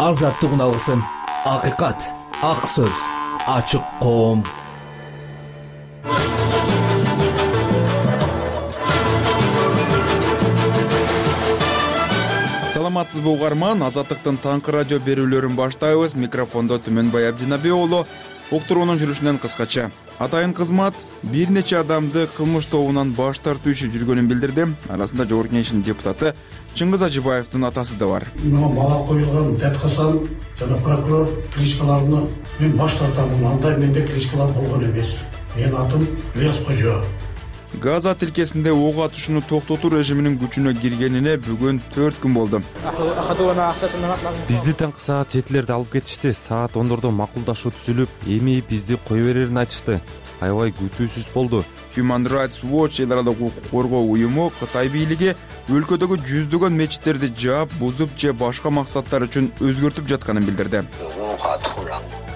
азаттык үналгысын, акыйкат, ак сөз, ачык коом. Саламатсызбы угарман, Азаттыктын таңкы радио берүүлөрүн баштайбыз. Микрофондо Түмөнбай Абдинаби уулу. Уктуруунун жүрүшүнөн кыскача. Атайын кызмат бир нече адамды кылмыш тобунан баш тартуу иши жүргөнүн билдирди. Арасында Жогорку Кеңештин депутаты Чыңгыз Ажыбаевдин атасы да бар. Мага коюлган Дәткасан жана прокурор кличкаларына мен баш тартамын. Андай менде кличкалар болгон эмес. Менин атым Ильяс Кожо. Газа тилкесинде ок атышууну токтотуу режиминин күчүнө киргенине бүгүн 4 күн болду. Бизди таңкы саат 7-лерде алып кетишти. Саат 10-дордо макулдашуу түзүлүп, эми бизди кое берерин айтышты. Аябай күтүүсүз болду. Human Rights Watch эл аралык укук коргоо уюму Кытай бийлиги өлкөдөгү жүздөгөн мечиттерди жаап, бузуп же башка максаттар үчүн өзгөртүп жатканын билдирди.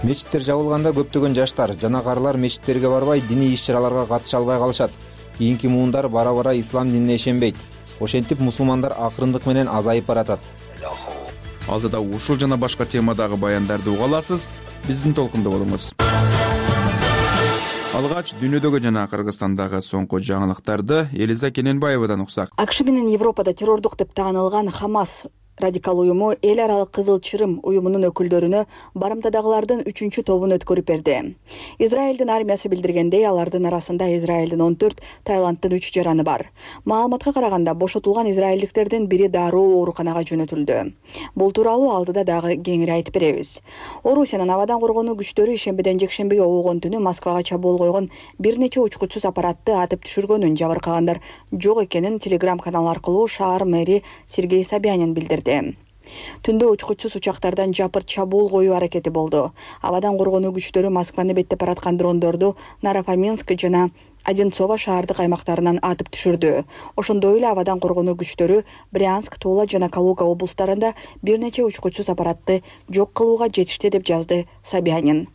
Мечиттер жабылганда көптөгөн жаштар жана карылар мечиттерге барбай, диний иш-чараларга катыша албай калышат. Кийинки муундар бара-бара ислам динине ишенбейт. Ошентип мусулмандар акырындык менен азайып баратат. Алдыда ушул жана башка темадагы баяндарды уга аласыз. Биздин толкунда болуңуз. Алгач дүйнөдөгү жана Кыргызстандагы соңку жаңылыктарды Элиза Кененбаевадан уксак. АКШ менен Европада террордук деп таанылган Хамас радикал уюму эл аралык Кызыл Чырым уюмунун өкүлдөрүнө барымтадагылардын 3-чү тобун өткөрүп берди. Израилдин армиясы билдиргендей, алардын арасында Израилдин 14, Таиланддын 3 жараны бар. Маалыматка караганда бошотулган израилдиктердин бири дароо ооруканага жөнөтүлдү. Бул тууралуу алдыда дагы кеңири айтып беребиз. Орусиянын абадан коргонуу күчтөрү ишембиден жекшембиге огон түнү Москвага чабуул койгон бир нече учкучсуз аппаратты атып түшүргөнүн, жабыркагандар жок экенин телеграм-канал аркылуу шаар мэри Сергей Собянин билдирди. Түндө учкучсуз учактардан жапырт чабуул коюу аракети болду. Абадан коргонуу күчтөрү Москваны беттеп бараткан дрондорду Нарафаминск жана Одинцово шаардык аймактарынан атып түшүрдү. Ошондой эле абадан коргонуу күчтөрү Брянск, Тула жана Калуга облустарында бир нече учкучсуз аппаратты жок кылууга жетишти деп жазды Собянин.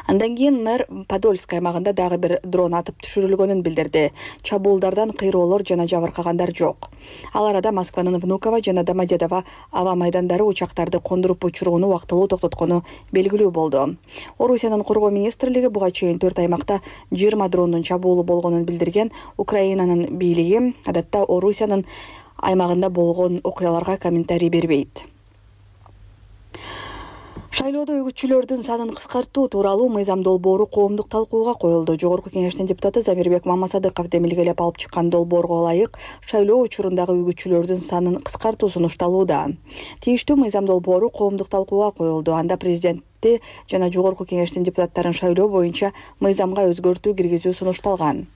Андан кийин мэр Подольск аймагында дагы бир дрон атып түшүрүлгөнүн билдирди. Чабуулдардан кыйроолор жана жабыркагандар жок. Ал арада Москванын Внуково жана Домодедово аба майдандары учактарды кондуруп учурууну убактылуу токтоткону белгилүү болду. Орусиянын коргоо министрлиги буга чейин 4 аймакта 20 дрондун чабуулу болгонун билдирген. Украинанын бийлиги адатта Орусиянын аймагында болгон окуяларга комментарий бербейт. Шайлоодо үгүтчүлөрдүн санын кыскартуу тууралуу мыйзам долбоору коомдук талкууга коюлду. Жогорку Кеңештин депутаты Замирбек Мамасадыков демилгелеп алып чыккан долбоорго ылайык шайлоо учурундагы үгүтчүлөрдүн санын кыскартуу сунушталууда. Тийиштүү мыйзам долбоору коомдук талкууга коюлду. Анда президенти жана Жогорку Кеңештин депутаттарын шайлоо боюнча мыйзамга өзгөртүү киргизүү сунушталган.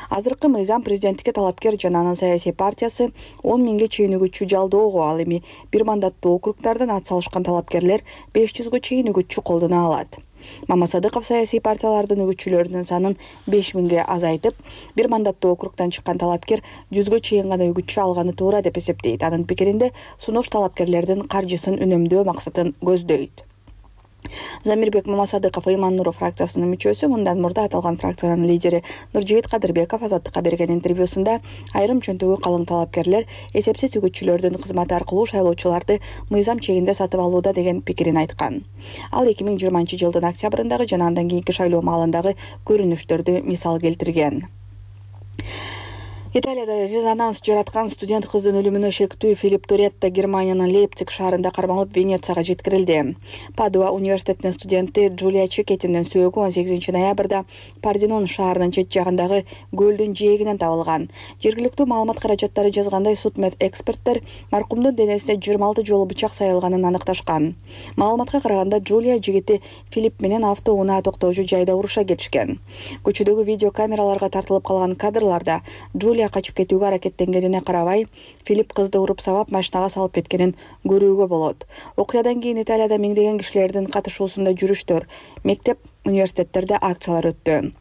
Азыркы мыйзам президенттикке талапкер жана анын саясий партиясы 10 миңге чейин үгүтчү жалдоого, ал эми бир мандаттуу округдардан ат салышкан талапкерлер 500гө чейин үгүтчү колдоно алат. Мамасадыков саясий партиялардын үгүтчүлөрүнүн санын 5 миңге азайтып, бир мандаттуу округдан чыккан талапкер 100гө чейин гана үгүтчү алганы туура деп эсептейт. Анын пикиринде сунуш талапкерлердин каржысын үнөмдөө максатын көздөйт. Замирбек Мамасадыков Иман Нуров фракциясынын мүчөсү. Мындан мурда аталган фракциянын лидери Нуржигит Кадырбеков Азаттыкка берген интервьюсунда айрым чөнтөгү калың талапкерлер эсепсиз үгүтчүлөрдүн кызматы аркылуу шайлоочуларды мыйзам чегинде сатып алууда деген пикирин айткан. Ал 2020-жылдын октябрындагы жана андан кийинки шайлоо маалындагы көрүнүштөрдү мисал келтирген. Италияда резонанс жараткан студент кыздын өлүмүнө шектүү Филипп Торетто Германиянын Лейпциг шаарында кармалып Венецияга жеткирилди. Падуа университетинин студенти Джулия Чекетинин сөөгү 18 ноябрда Парденон шаарынын чет жагындагы көлдүн жээгинен табылган. Жергиликтүү маалымат каражаттары жазгандай, судмед эксперттер маркумдун денесине 26 жолу бычак сайылганын аныкташкан. Маалыматка караганда Джулия жигити Филипп менен автоунаа токтоочу жайда уруша кетишкен. Көчөдөгү видео камераларга тартылып калган кадрларда Джулия качып кетүүгө аракеттенгенине карабай, Филипп кызды уруп сабап машинага салып кеткенин көрүүгө болот. Окуядан кийин Италияда миңдеген кишилердин катышуусунда жүрүштөр, мектеп, университеттерде акциялар өттү.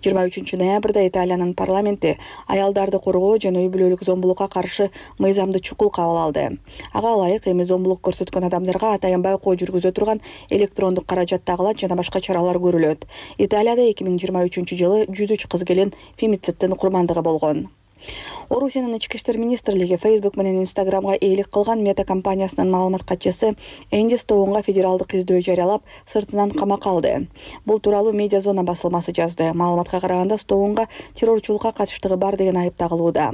23 ноябрда Италиянын парламенти аялдарды коргоо жана үй-бүлөлүк зомбулукка каршы мыйзамды чукул кабыл алды. Ага ылайык эми зомбулук көрсөткөн адамдарга атайын байкоо жүргүзө турган электрондук каражат тагылат жана башка чаралар көрүлөт. Италияда 2023 жылы 103 кыз келин фемициттин курмандыгы болгон. Орусиянын ички иштер министрлиги Facebook менен Instagramга ээлик кылган Мета компаниясынын маалымат катчысы Энди Стоунга федералдык издөө жарыялап, сыртынан камакка алды. Бул тууралуу Медиа Зона басылмасы жазды. Маалыматка караганда Стоунга террорчулукка катыштыгы бар деген айып тагылууда.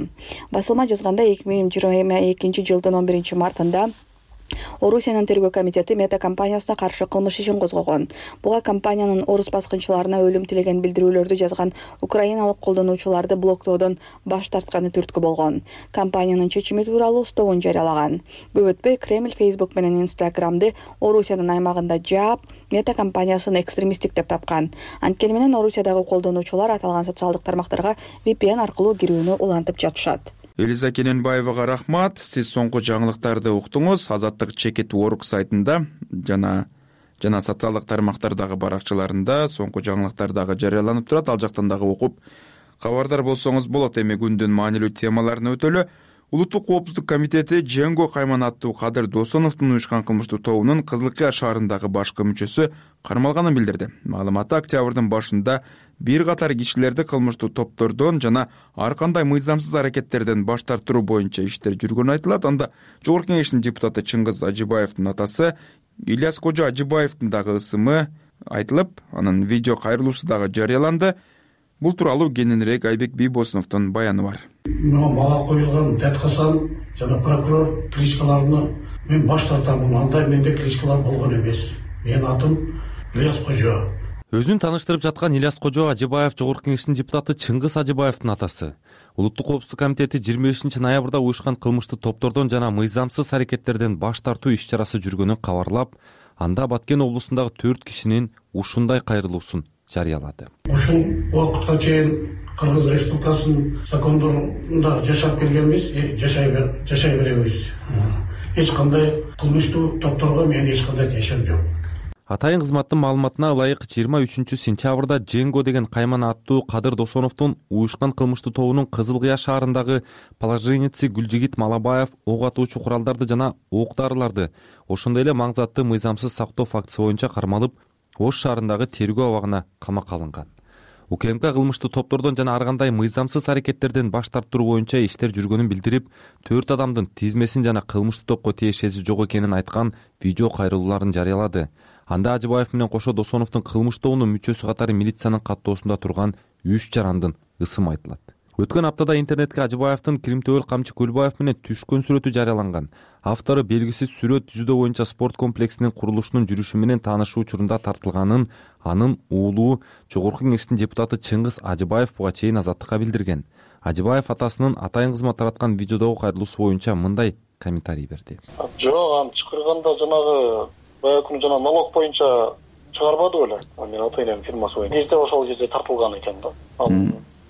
Басылма жазганда 2022 жылдын 11 мартында Орусиянын тергөө комитети Мета компаниясына каршы кылмыш ишин козгогон. Буга компаниянын орус баскынчыларына өлүм тилеген билдирүүлөрдү жазган украиналык колдонуучуларды блоктоодон баш тартканы түрткү болгон. Компаниянын чечими тууралуу Стоун жарыялаган. Көп өтпөй Кремль Facebook менен Instagram'ды Орусиянын аймагында жаап, Мета компаниясын экстремисттик деп тапкан. Анткени менен Орусиядагы колдонуучулар аталган социалдык тармактарга VPN аркылуу кирүүнү улантып жатышат. Элиза Кененбаевага рахмат. Сиз соңку жаңылыктарды уктуңуз. Азаттык Чекит.org сайтында жана социалдык тармактардагы баракчаларында соңку жаңылыктар дагы жарыяланып турат. Ал жактан дагы окуп кабардар болсоңуз болот. Эми күндүн маанилүү темаларына өтөлү. Улуттук коопсуздук комитети Женго Кайман аттуу Кадыр Досоновдун уюшкан кылмыштуу тобунун Кызылкыя шаарындагы башкы мүчөсү кармалганын билдирди. Маалыматта октябрдын башында бир катар кишилерди кылмыштуу топтордон жана ар кандай мыйзамсыз аракеттерден баш тартуу боюнча иштер жүргөнү айтылат. Анда Жогорку Кеңештин депутаты Чыңгыз Ажыбаевдин атасы Ильяс Кожо Ажыбаевдин дагы ысымы айтылып, анын видео кайрылуусу дагы жарыяланды. Бул тууралуу кененирээк Айбек Бийбосуновдун баяны бар. Мага коюлган Дәтхасан жана прокурор кличкаларына мен баш тартамын. Андай менде кличкалар болгон эмес. Менин атым Ильяс Кожо. Өзүн тааныштырып жаткан Ильяс Кожо Ажыбаев Жогорку Кеңештин депутаты Чыңгыз Ажыбаевдин атасы. Улуттук коопсуздук комитети 25 ноябрда уюшкан кылмыштуу топтордон жана мыйзамсыз аракеттерден баш тартуу иш-чарасы жүргөнүн кабарлап, анда Баткен облусундагы 4 кишинин ушундай кайрылуусун жарыялады. Ушул убакытка чейин Кыргыз Республикасынын закондорунда жашап келгенбиз, жашай беребиз. Эч кандай кылмыштуу топторго мен эч кандай тиешем жок. Атайын кызматтын маалыматына ылайык 23 сентябрда Женго деген Кайман аттуу Кадыр Досоновдун уюшкан кылмыштуу тобунун Кызылкыя шаарындагы положенияси Гүлжигит Малабаев ок атуучу куралдарды жана ок дарыларды, ошондой эле маң заттуу мыйзамсыз сактоо фактысы боюнча кармалып, Ош шаарындагы тергөө абагына камакка алынган. УКМК кылмыштуу топтордон жана ар кандай мыйзамсыз аракеттерден баш тартуу боюнча иштер жүргөнүн билдирип, 4 адамдын тизмесин жана кылмыштуу топко тиешеси жок экенин айткан видео кайрылууларын жарыялады. Анда Ажыбаев менен кошо Досоновдун кылмыш тобунун мүчөсү катары милициянын каттоосунда турган 3 жарандын ысымы айтылат. Өткөн аптада интернетке Ажыбаевдин Кримтөбөл Камчы Көлбаев менен түшкөн сүрөтү жарыяланган. Автору белгисиз сүрөт жүзүдө боюнча спорт комплексинин курулушунун жүрүшү менен таанышуу учурунда тартылганын анын уулу Жогорку Кеңештин депутаты Чыңгыз Ажыбаев буга чейин Азаттыкка билдирген. Ажыбаев атасынын атайын кызмат тараткан видеодогу кайрылуусу боюнча мындай комментарий берди. Жок, аны чакырганда жанагы баягы күнү жана налог боюнча чыгарбады беле. Мен ата-энем фирмасы боюнча. Кезде ошол кезде тартылган экен да.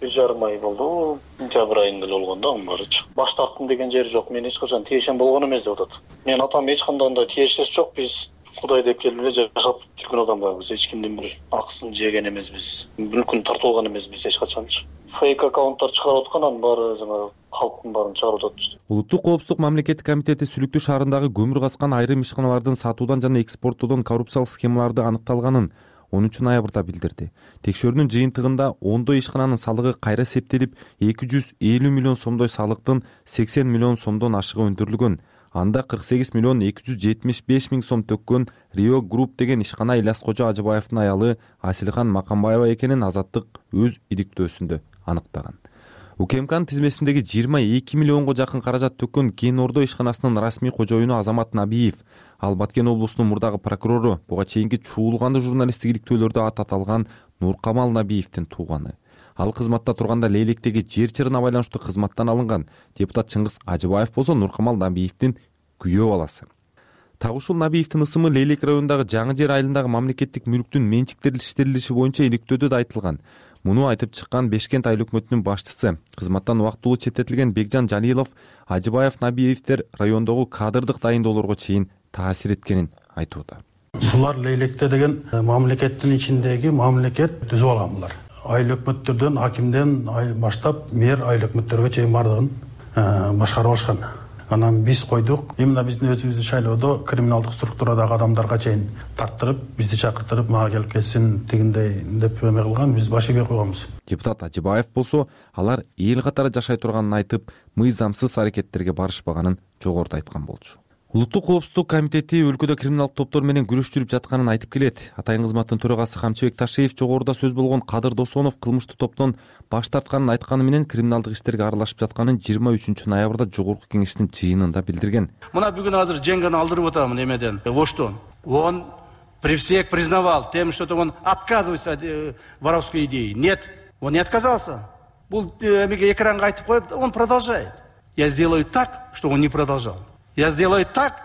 1,5 ай болду. Сентябрь айында эле болгон да баарычы. Баш тарттым деген жери жок. Мен эч качан тиешем болгон эмес деп атат. Мен атам эч кандай тиешеси жок. Биз Кудай деп келип эле жашап жүргөн адамдарбыз. Эч кимдин бир акысын жеген эмеспиз. Мүлкүн тартылган эмеспиз эч качанчы. Фейк аккаунттар чыгарып аткан, анын баары жана калктын баарын чыгарып атат. Улуттук коопсуздук мамлекеттик комитети Сүлүктүү шаарындагы көмүр каскан айрым ишканалардын сатуудан жана экспорттоодон коррупциялык схемаларды аныкталганын 13 ноябрда билдирди. Текшөрүүнүн жыйынтыгында ондой ишкананын салыгы кайра эсептелип, 250 миллион сомдой салыктын 80 миллион сомдон ашыгы өндүрүлгөн. Анда 48 миллион 275 миң сом төккөн Rio Group деген ишкана Ильяс Кожо Ажыбаевдин аялы Асилхан Макамбаева экенин Азаттык өз иликтөөсүндө аныктаган. УКМКнын тизмесиндеги 22 миллионго жакын каражат төккөн Кен Ордо ишканасынын расмий кожоюну Азамат Набиев, ал Баткен облусунун мурдагы прокурору, буга чейинки чуулган журналисттик иликтөөлөрдө ат аталган Нуркамал Набиевдин тууганы. Ал кызматта турганда Лейлектеги жер чырына байланыштуу кызматтан алынган. Депутат Чыңгыз Ажыбаев болсо Нуркамал Набиевдин күйөө баласы. Так ушул Набиевдин ысымы Лейлек районундагы Жаңы Жер айылындагы мамлекеттик мүлктүн менчиктелиштерилиши боюнча иликтөөдө да айтылган. Муну айтып чыккан Бешкент айыл өкмөтүнүн башчысы, кызматтан убактылуу четтетилген Бекжан Жалилов, Ажыбаев Набиевдер райондогу кадрдык дайындоолорго чейин таасир эткенин айтууда. Булар Лейлектте деген мамлекеттин ичиндеги мамлекет түзүп алган булар. Айыл өкмөттөрдөн, акимден баштап мэр айыл өкмөттөргө чейин бардыгын башкарып алышкан. Анан биз койдук, именно биздин өзүбүздүн шайлоодо криминалдык структурадагы адамдарга чейин тарттырып, бизди чакыртырып, мага келип кетсин тигиндей деп эме кылган, биз баш ийбей койгонбуз. Депутат Ажыбаев болсо, алар эл катары жашай турганын айтып, мыйзамсыз аракеттерге барышпаганын жогоруда айткан болчу. Улуттук коопсуздук комитети өлкөдө криминалдык топтор менен күрөш жүрүп жатканын айтып келет. Атайын кызматтын төрагасы Камчыбек Ташиев жогоруда сөз болгон Кадыр Досонов кылмыштуу топтон баш тартканын айтканы менен криминалдык иштерге аралашып жатканын 23-ноябрда жогорку кеңештин жыйынында билдирген. Мына бүгүн азыр Женганы алдырып атамын эмеден. Оштон. Он при всех признавал тем, что он отказывается от воровской идеи. Нет, он не отказался. Бул эмеге экранга айтып коюп, он продолжает. Я сделаю так, что он не продолжал. Я сделаю так,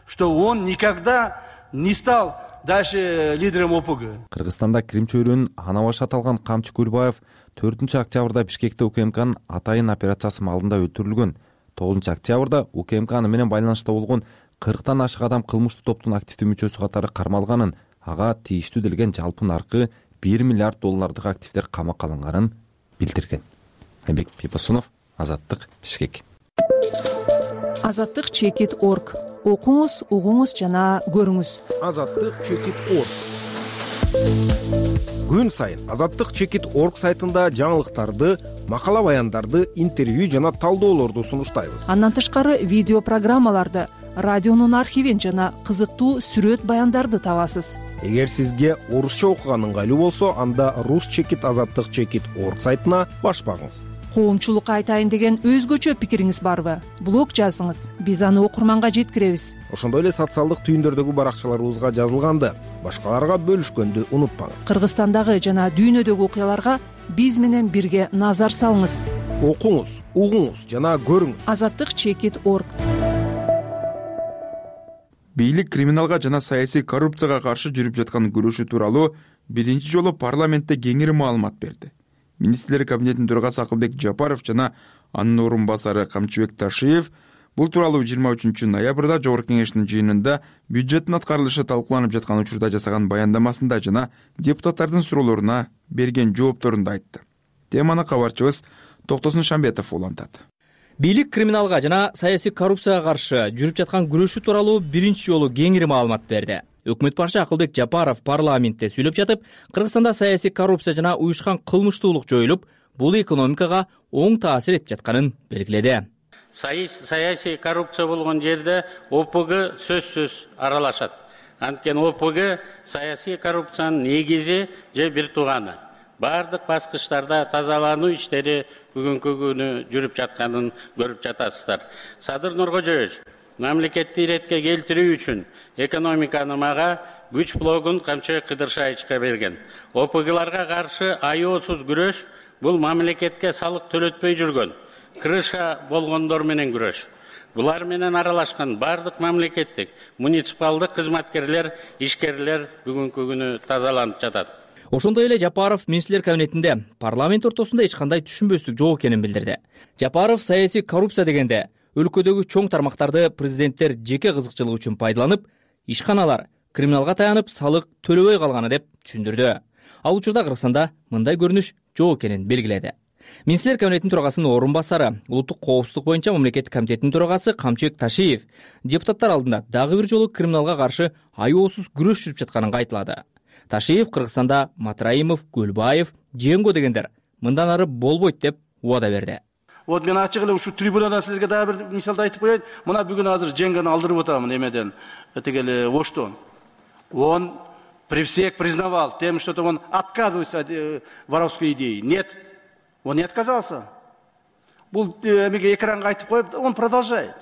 что он никогда не стал дальше лидером ОПГ. Кыргызстанда Крим чөйрөнүн ана башы аталган Камчы Көлбаев 4-октябрда Бишкекте УКМКнын атайын операциясы маалында өлтүрүлгөн. 9-октябрда УКМК менен байланышта болгон 40тан ашык адам кылмыштуу топтун активдүү мүчөсү катары кармалганын, ага тийиштүү делген жалпы наркы $1 миллиард активдер камакка алынганын билдирген. Айбек Пипасунов, Азаттык, Бишкек. Азаттык.org. Окуңуз, угуңуз жана көрүңүз. Азаттык.org. Күн сайын Азаттык.org сайтында жаңылыктарды, макала баяндарды, интервью жана талдоолорду сунуштайбыз. Андан тышкары видео программаларды, радионун архивин жана кызыктуу сүрөт баяндарды табасыз. Эгер сизге орусча окуган ыңгайлуу болсо, анда Азаттык.org сайтына баш багыңыз. Коомчулукка айтайын деген өзгөчө пикириңиз барбы? Блог жазыңыз, биз аны окурманга жеткиребиз. Ошондой эле социалдык түйүндөрдөгү баракчаларыбызга жазылганды башкаларга бөлүшкөндү унутпаңыз. Кыргызстандагы жана дүйнөдөгү окуяларга биз менен бирге назар салыңыз. Окуңуз, угуңуз жана көрүңүз. Азаттык.org. Бийлик криминалга жана саясий коррупцияга каршы жүрүп жаткан күрөшү тууралуу биринчи жолу парламентте кеңири маалымат берди. Министрлер кабинетинин төрагасы Акылбек Жапаров жана анын орун басары Камчыбек Ташиев бул тууралуу 23-ноябрда жогорку кеңештин жыйынында бюджеттин аткарылышы талкууланып жаткан учурда жасаган баяндамасында жана депутаттардын суроолоруна берген жоопторунда айтты. Теманы кабарчыбыз Токтосун Шамбетов улантат. Бийлик криминалга жана саясий коррупцияга каршы жүрүп жаткан күрөшү тууралуу биринчи жолу кеңири маалымат берди. Өкмөт башчысы Акылбек Жапаров парламентте сүйлөп жатып, Кыргызстанда саясий коррупция жана уюшкан кылмыштуулук жоюлуп, бул экономикага оң таасир этип жатканын белгиледи. Саясий коррупция болгон жерде ОПГ сөзсүз аралашат. Анткени ОПГ саясий коррупциянын негизи же бир тууганы. Бардык баскычтарда тазалануу иштери бүгүнкү күнү жүрүп жатканын көрүп жатасыздар. Садыр Нуркожоевич, мамлекетти иретке келтирүү үчүн экономиканы мага күч блогун Камчыбек Кыдыршаевичке берген. ОПГларга каршы аеосуз күрөш бул мамлекетке салык төлөтпөй жүргөн, крыша болгондор менен күрөш. Булар менен аралашкан бардык мамлекеттик, муниципалдык кызматкерлер, ишкерлер бүгүнкү күнү тазаланып жатат. Ошондой эле Жапаров министрлер кабинетинде парламент ортосунда эч кандай түшүнбөстүк жок экенин билдирди. Жапаров саясий коррупция дегенде өлкөдөгү чоң тармактарды президенттер жеке кызыкчылык үчүн пайдаланып, ишканалар криминалга таянып салык төлөбөй калганы деп түшүндүрдү. Ал учурда Кыргызстанда мындай көрүнүш жок экенин белгиледи. Министрлер кабинетинин төрагасынын орун басары, улуттук коопсуздук боюнча мамлекеттик комитеттин төрагасы Камчыбек Ташиев депутаттар алдында дагы бир жолу криминалга каршы аеосуз күрөш жүрүп жатканын кайталады. Ташиев Кыргызстанда Матраимов, Көлбаев, Женго дегендер мындан ары болбойт деп убада берди. Вот мен ачык эле ушу трибунадан силерге дагы бир мисалды айтып коеюн. Мына бүгүн азыр Женганы алдырып атамын эмеден, тигели Оштон. Он при всех признавал тем, что он отказывается от воровской идеи. Нет, он не отказался. Бул эмеге экранга айтып коюп, он продолжает.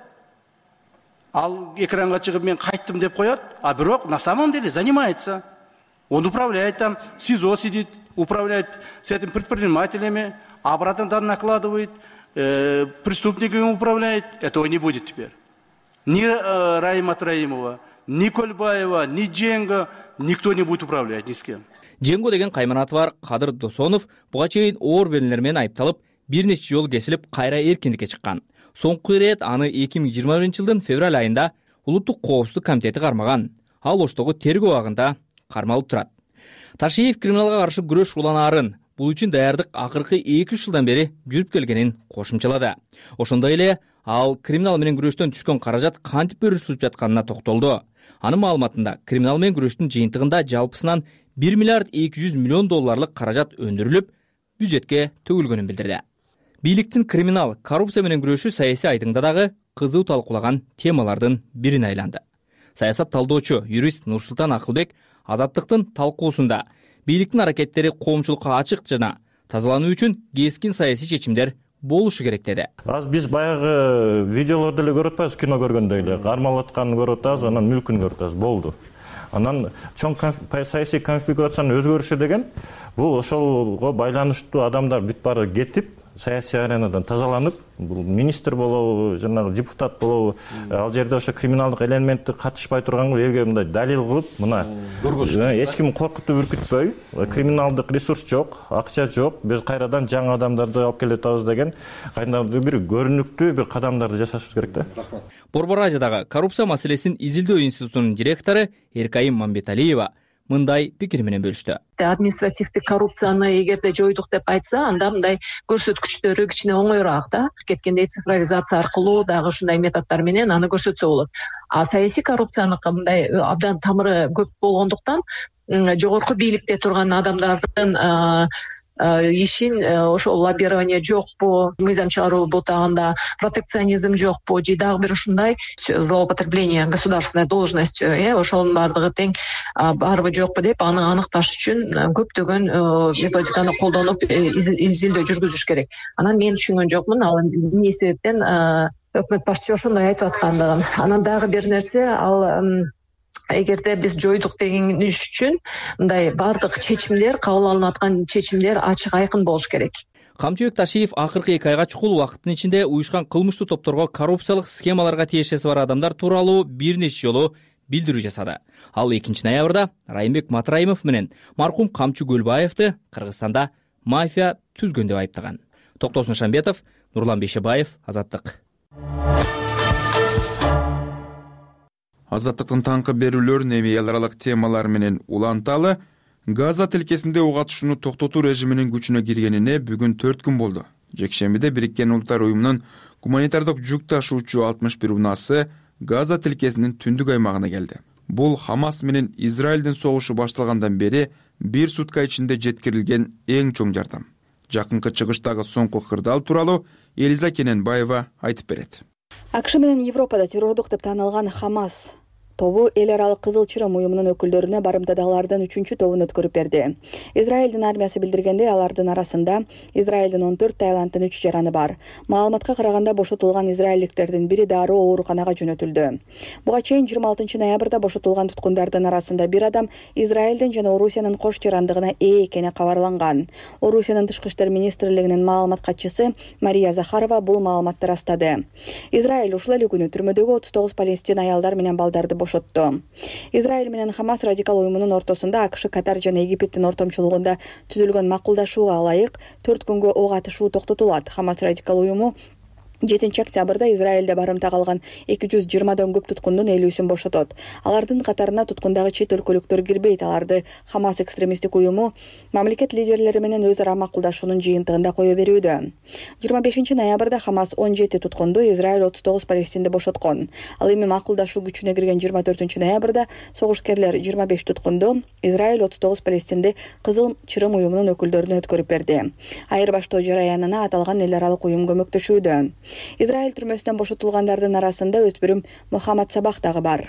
Ал экранга чыгып мен кайттым деп коет, а бирок на самом деле занимается. Он управляет там, в СИЗО сидит, управляет с этим предпринимателями, обратно там накладывает, преступниками управляет. Этого не будет теперь. Ни Раима Траимова, ни Кольбаева, ни Дженго, никто не будет управлять ни с кем. Женго деген кайманаты бар Кадыр Досонов буга чейин оор беренелер менен айыпталып, бир нече жолу кесилип, кайра эркиндикке чыккан. Соңку ирет аны 2021-жылдын февраль айында Улуттук коопсуздук комитети кармаган. Ал Оштогу тергөө абагында кармалып турат. Ташиев криминалга каршы күрөш уланаарын бул үчүн даярдык акыркы 2 жылдан бери жүрүп келгенин кошумчалады. Ошондой эле ал криминал менен күрөштөн түшкөн каражат кантип бөлүшүлүп жатканына токтолду. Анын маалыматында криминал менен күрөштүн жыйынтыгында жалпысынан 1 миллиард 200 миллион долларлык каражат өндүрүлүп, бюджетке төгүлгөнүн билдирди. Бийликтин криминал, коррупция менен күрөшү саясий айдыңда дагы кызуу талкуулаган темалардын бирине айланды. Саясат талдоочу юрист Нурсултан Акылбек Азаттыктын талкуусунда бийликтин аракеттери коомчулукка ачык жана тазалануу үчүн кескин саясий чечимдер болушу керек деди. Аз биз баягы видеолорду эле көрүп атпайбыз, кино көргөндөй эле кармалатканын көрүп атабыз, анан мүлкүн көрүп атабыз, болду. Анан чоң саясий конфигурациянын өзгөрүшү деген бул ошолго байланыштуу адамдар бүт баары кетип, саясий аренадан тазаланып, бул министр болобу, жанагы депутат болобу, ал жерде ошо криминалдык элементти катышпай турганга элге мындай далил кылып, мына эч ким коркутуп үркүтпөй, криминалдык ресурс жок, акча жок, биз кайрадан жаңы адамдарды алып келе атабыз деген кайдандыр бир көрүнүктүү бир кадамдарды жасашыбыз керек да. Борбор Азиядагы коррупция маселесин изилдөө институтунун директору Эркайым Мамбеталиева мындай пикир менен бөлүштү. Административдик коррупцияны эгерде жойдук деп айтса, анда мындай көрсөткүчтөрү кичине оңоюраак да. Кеткендей цифровизация аркылуу дагы ушундай методдор менен аны көрсөтсө болот. А саясий коррупцияныкы мындай абдан тамыры көп болгондуктан жогорку бийликте турган адамдардын ишин ошол лоббирование жокпу, мыйзам чыгаруу бутагында протекционизм жокпу же дагы бир ушундай злоупотребление государственной должностью, ошонун баардыгы тең барбы жокпу деп аны аныкташ үчүн көптөгөн методиканы колдонуп изилдөө жүргүзүш керек. Анан мен түшүнгөн жокмун ал эмне себептен өкмөт башчысы ошондой айтып аткандыгын. Анан дагы бир нерсе, ал эгерде биз жойдук деген иш үчүн мындай баардык чечимдер, кабыл алынып аткан чечимдер ачык айкын болуш керек. Камчыбек Ташиев акыркы 2 айга чукул убакыттын ичинде уюшкан кылмыштуу топторго коррупциялык схемаларга тиешеси бар адамдар тууралуу бир нече жолу билдирүү жасады. Ал 2 ноябрда Райымбек Матраимов менен маркум Камчы Көлбаевди Кыргызстанда мафия түзгөн деп айыптаган. Токтосун Шамбетов, Нурлан Бейшебаев, Азаттык. Азаттыктын таңкы берүүлөрүн эми эл аралык темалар менен уланталы. Газа тилкесинде ок атышууну токтотуу режиминин күчүнө киргенине бүгүн 4 күн болду. Жекшембиде Бириккен Улуттар уюмунун гуманитардык жүк ташуучу 61 унаасы Газа тилкесинин түндүк аймагына келди. Бул Хамас менен Израилдин согушу башталгандан бери 1 сутка ичинде жеткирилген эң чоң жардам. Жакынкы чыгыштагы соңку кырдаал тууралуу Элиза Кененбаева айтып берет. АКШ менен Европада террордук деп таанылган Хамас тобу эл аралык Кызыл Чырым уюмунун өкүлдөрүнө барымтадагылардын 3-чү тобун өткөрүп берди. Израилдин армиясы билдиргендей, алардын арасында Израилдин 14 Таиланддын 3 жараны бар. Маалыматка караганда бошотулган израилдиктердин бири дароо ооруканага жөнөтүлдү. Буга чейин 26 ноябрда бошотулган туткундардын арасында бир адам Израилдин жана Орусиянын кош жарандыгына ээ экени кабарланган. Орусиянын тышкы иштер министрлигинин маалымат катчысы Мария Захарова бул маалыматты растады. Израиль ушул эле күнү түрмөдөгү 39 палестин аялдар менен балдарды бошотту. Израиль менен Хамас радикал уюмунун ортосунда АКШ, Катар жана Египеттин ортомчулугунда түзүлгөн макулдашууга ылайык 4 күнгө ок атышуу токтотулат. Хамас радикал уюму 7 октябрда Израилде барымта калган 220дан көп туткундун 50-сүн бошотот. Алардын катарына туткундагы чет өлкөлүктөр кирбейт. Аларды Хамас экстремисттик уюму мамлекет лидерлери менен өз ара макулдашуунун жыйынтыгында кое берүүдө. 25 ноябрда Хамас 17 туткунду, Израиль 39 палестинди бошоткон. Ал эми макулдашуу күчүнө кирген 24 ноябрда согушкерлер 25 туткунду, Израиль 39 палестинди Кызыл Чырым уюмунун өкүлдөрүнө өткөрүп берди. Айырбаштоо жараянына аталган эл аралык уюм көмөктөшүүдө. Израиль түрмөсүнөн бошотулгандардын арасында өспүрүм Мухаммад Сабах дагы бар.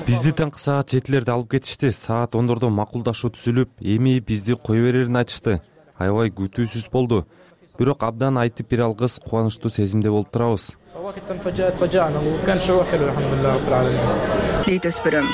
Бизди таңкы саат 7-лерде алып кетишти. Саат 10-дордо макулдашуу түзүлүп, эми бизди кое берерин айтышты. Аябай күтүүсүз болду. Бирок абдан айтып бере алгыс, кубанычтуу сезимде болуп турабыз. Дейт өспүрүм.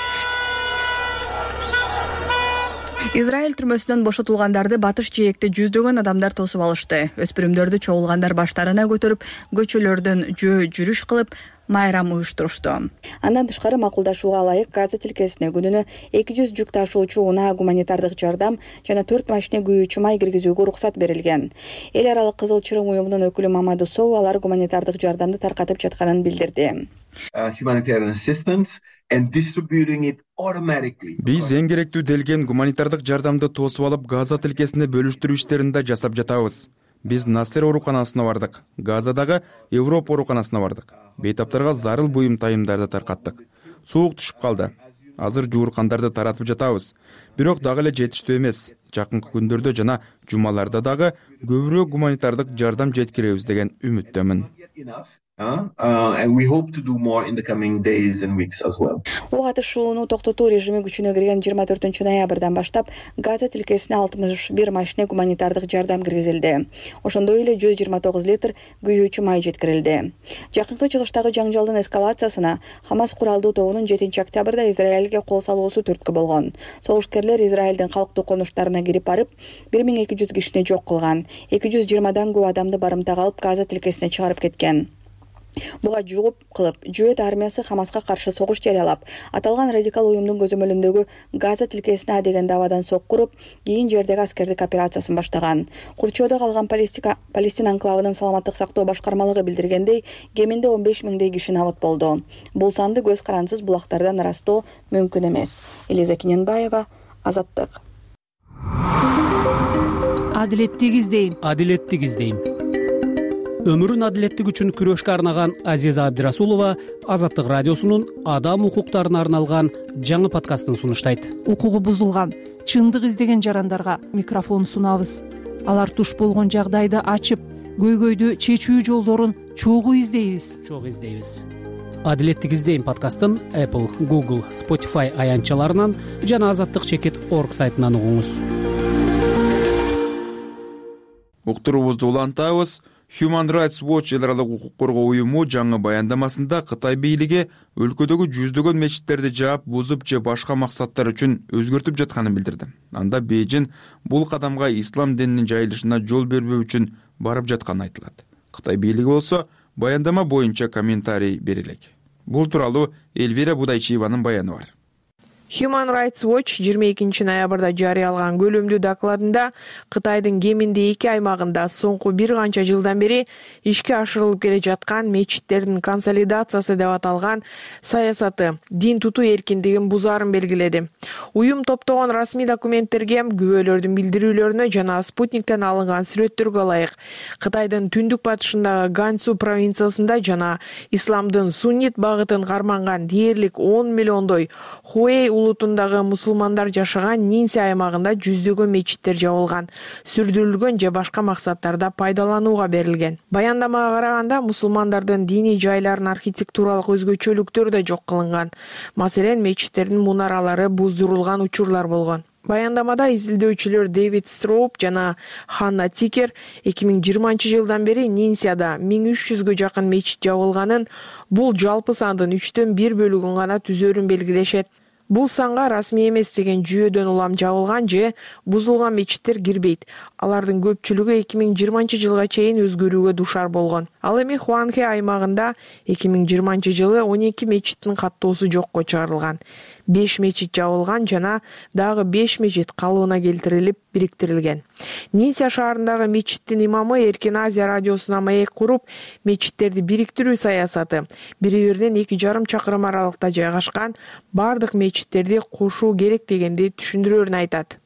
Израиль түрмөсүнөн бошотулгандарды батыш жээкте жүздөгөн адамдар тосуп алышты. Өспүрүмдөрдү чогулгандар баштарына көтөрүп, көчөлөрдөн жүрүш кылып, майрам уюштурушту. Андан тышкары макулдашууга ылайык Газа тилкесине күнүнө 200 жүк ташуучу унаа, гуманитардык жардам жана 4 машина күйүүчү май киргизүүгө уруксат берилген. Эл аралык Кызыл Чырым уюмунун өкүлү Мамаду Соу алар гуманитардык жардамды таркатып жатканын билдирди. humanitarian assistance and distributing it automatically. Биз эң керектүү делген гуманитардык жардамды тосуп алып, Газа тилкесине бөлүштүрүү иштерин да жасап жатабыз. Биз Насер ооруканасына бардык, Газадагы Европа ооруканасына бардык. Бейтаптарга зарыл буюм тайымдарды таркаттык. Суук түшүп калды. Азыр жууркандарды таратып жатабыз. Бирок дагы эле жетиштүү эмес. Жакынкы күндөрдө жана жумаларда дагы көбүрөөк гуманитардык жардам жеткиребиз деген үмүттөмүн. And we hope to do more in the coming days and weeks as well. Ок атышууну токтотуу режими күчүнө кирген 24 ноябрдан баштап Газа тилкесине 61 машина гуманитардык жардам киргизилди. Ошондой эле 129 литр күйүүчү май жеткирилди. Жакынкы чыгыштагы жаңжалдын эскалациясына Хамас куралдуу тобунун 7 октябрда Израилге кол салуусу түрткү болгон. Согушкерлер Израилдин калктуу конуштарына кирип барып, 1200 кишини жок кылган. 220дан көп адамды барымтага алып Газа тилкесине чыгарып кеткен. Буга жооп кылып, Жүйөт армиясы Хамаска каршы согуш жарыялап, аталган радикал уюмдун көзөмөлүндөгү Газа тилкесине деген давадан сокку уруп, кийин жердеги аскердик операциясын баштаган. Курчоодо калган Палестина анклавынын саламаттык сактоо башкармалыгы билдиргендей, кеминде 15 миңдей киши набыт болду. Бул санды көз карансыз булактардан ырастоо мүмкүн эмес. Элиза Кененбаева, Азаттык. Адилеттик издейм. Өмүрүн адилеттик үчүн күрөшкө арнаган Азиза Абдирасулова Азаттык радиосунун адам укуктарына арналган жаңы подкастын сунуштайт. Укугу бузулган, чындык издеген жарандарга микрофон сунабыз. Алар туш болгон жагдайды ачып, көйгөйдү чечүү жолдорун чогуу издейбиз. Адилеттик издейм подкастын Apple, Google, Spotify аянтчаларынан жана azattik.org сайтынан угуңуз. Уктуруубузду улантабыз. Human Rights Watch эл аралык укук коргоо уюму жаңы баяндамасында Кытай бийлиги өлкөдөгү жүздөгөн мечиттерди жаап, бузуп же башка максаттар үчүн өзгөртүп жатканын билдирди. Анда Бейжин бул кадамга ислам дининин жайылышына жол бербөө үчүн барып жатканы айтылат. Кытай бийлиги болсо баяндама боюнча комментарий бере элек. Бул тууралуу Эльвира Будайчиеванын баяны бар. Human Rights Watch 22 ноябрда жарыялаган көлөмдүү докладында Кытайдын кеминде 2 аймагында соңку бир канча жылдан бери ишке ашырылып келе жаткан мечиттердин консолидациясы деп аталган саясаты дин тутуу эркиндигин бузаарын белгиледи. Уюм топтогон расмий документтерге, күбөлөрдүн билдирүүлөрүнө жана спутниктен алынган сүрөттөргө ылайык Кытайдын түндүк батышындагы Ганцзу провинциясында жана исламдын суннит багытын карманган дээрлик 10 миллиондой Хуэй улутундагы мусулмандар жашаган Нинси аймагында жүздөгөн мечиттер жабылган, сүрдүрүлгөн же башка максаттарда пайдаланууга берилген. Баяндамага караганда мусулмандардын диний жайларын архитектуралык өзгөчөлүктөрү да жок кылынган. Маселен, мечиттердин мунаралары буздурулган учурлар болгон. Баяндамада изилдөөчүлөр Дэвид Строуп жана Ханна Тикер 2020 жылдан бери Нинсияда 1300гө жакын мечит жабылганын, бул жалпы сандын 1/3 бөлүгүн гана түзөрүн белгилешет. Бул санга расмий эмес деген жүйөдөн улам жабылган же бузулган мечиттер кирбейт. Алардын көпчүлүгү 2020 жылга чейин өзгөрүүгө душар болгон. Ал эми Хуанхэ аймагында 2020 жылы 12 мечиттин каттоосу жокко чыгарылган. 5 мечит жабылган жана дагы 5 мечит калыбына келтирилип бириктирилген. Нинсия шаарындагы мечиттин имамы Эркин Азия радиосуна маек куруп, мечиттерди бириктирүү саясаты бири-биринен 2,5 чакырым аралыкта жайгашкан бардык мечиттерди кошуу керек дегенди түшүндүрөөрүн айтат.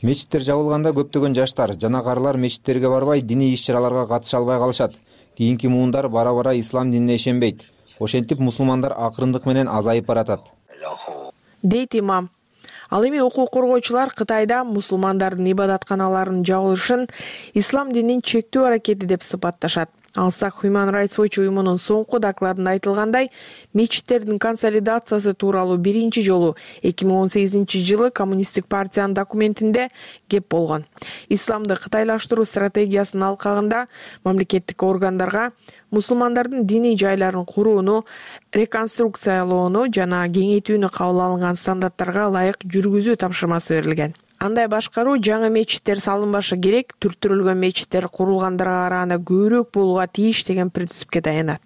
Мечиттер жабылганда көптөгөн жаштар жана карлар мечиттерге барбай, диний иш-чараларга катыша албай калышат. Кийинки муундар бара-бара ислам динине ишенбейт. Ошентип мусулмандар акырындык менен азайып баратат, дейт имам. Ал эми укук коргоочулар Кытайда мусулмандардын ибадатканаларынын жабылышын ислам динин чектөө аракети деп сыпатташат. Алсак Human Rights Watch уюмунун соңку докладында айтылгандай, мечиттердин консолидациясы тууралуу биринчи жолу 2018 жылы Коммунисттик партиянын документинде кеп болгон. Исламды кытайлаштыруу стратегиясынын алкагында мамлекеттик органдарга мусулмандардын диний жайларын курууну, реконструкциялоону жана кеңейтүүнү кабыл алынган стандарттарга ылайык жүргүзүү тапшырмасы берилген. Андай башкаруу жаңы мечиттер салынбашы керек, түрттүрүлгөн мечиттер курулгандарга караганда көбүрөөк болууга тийиш деген принципке таянат.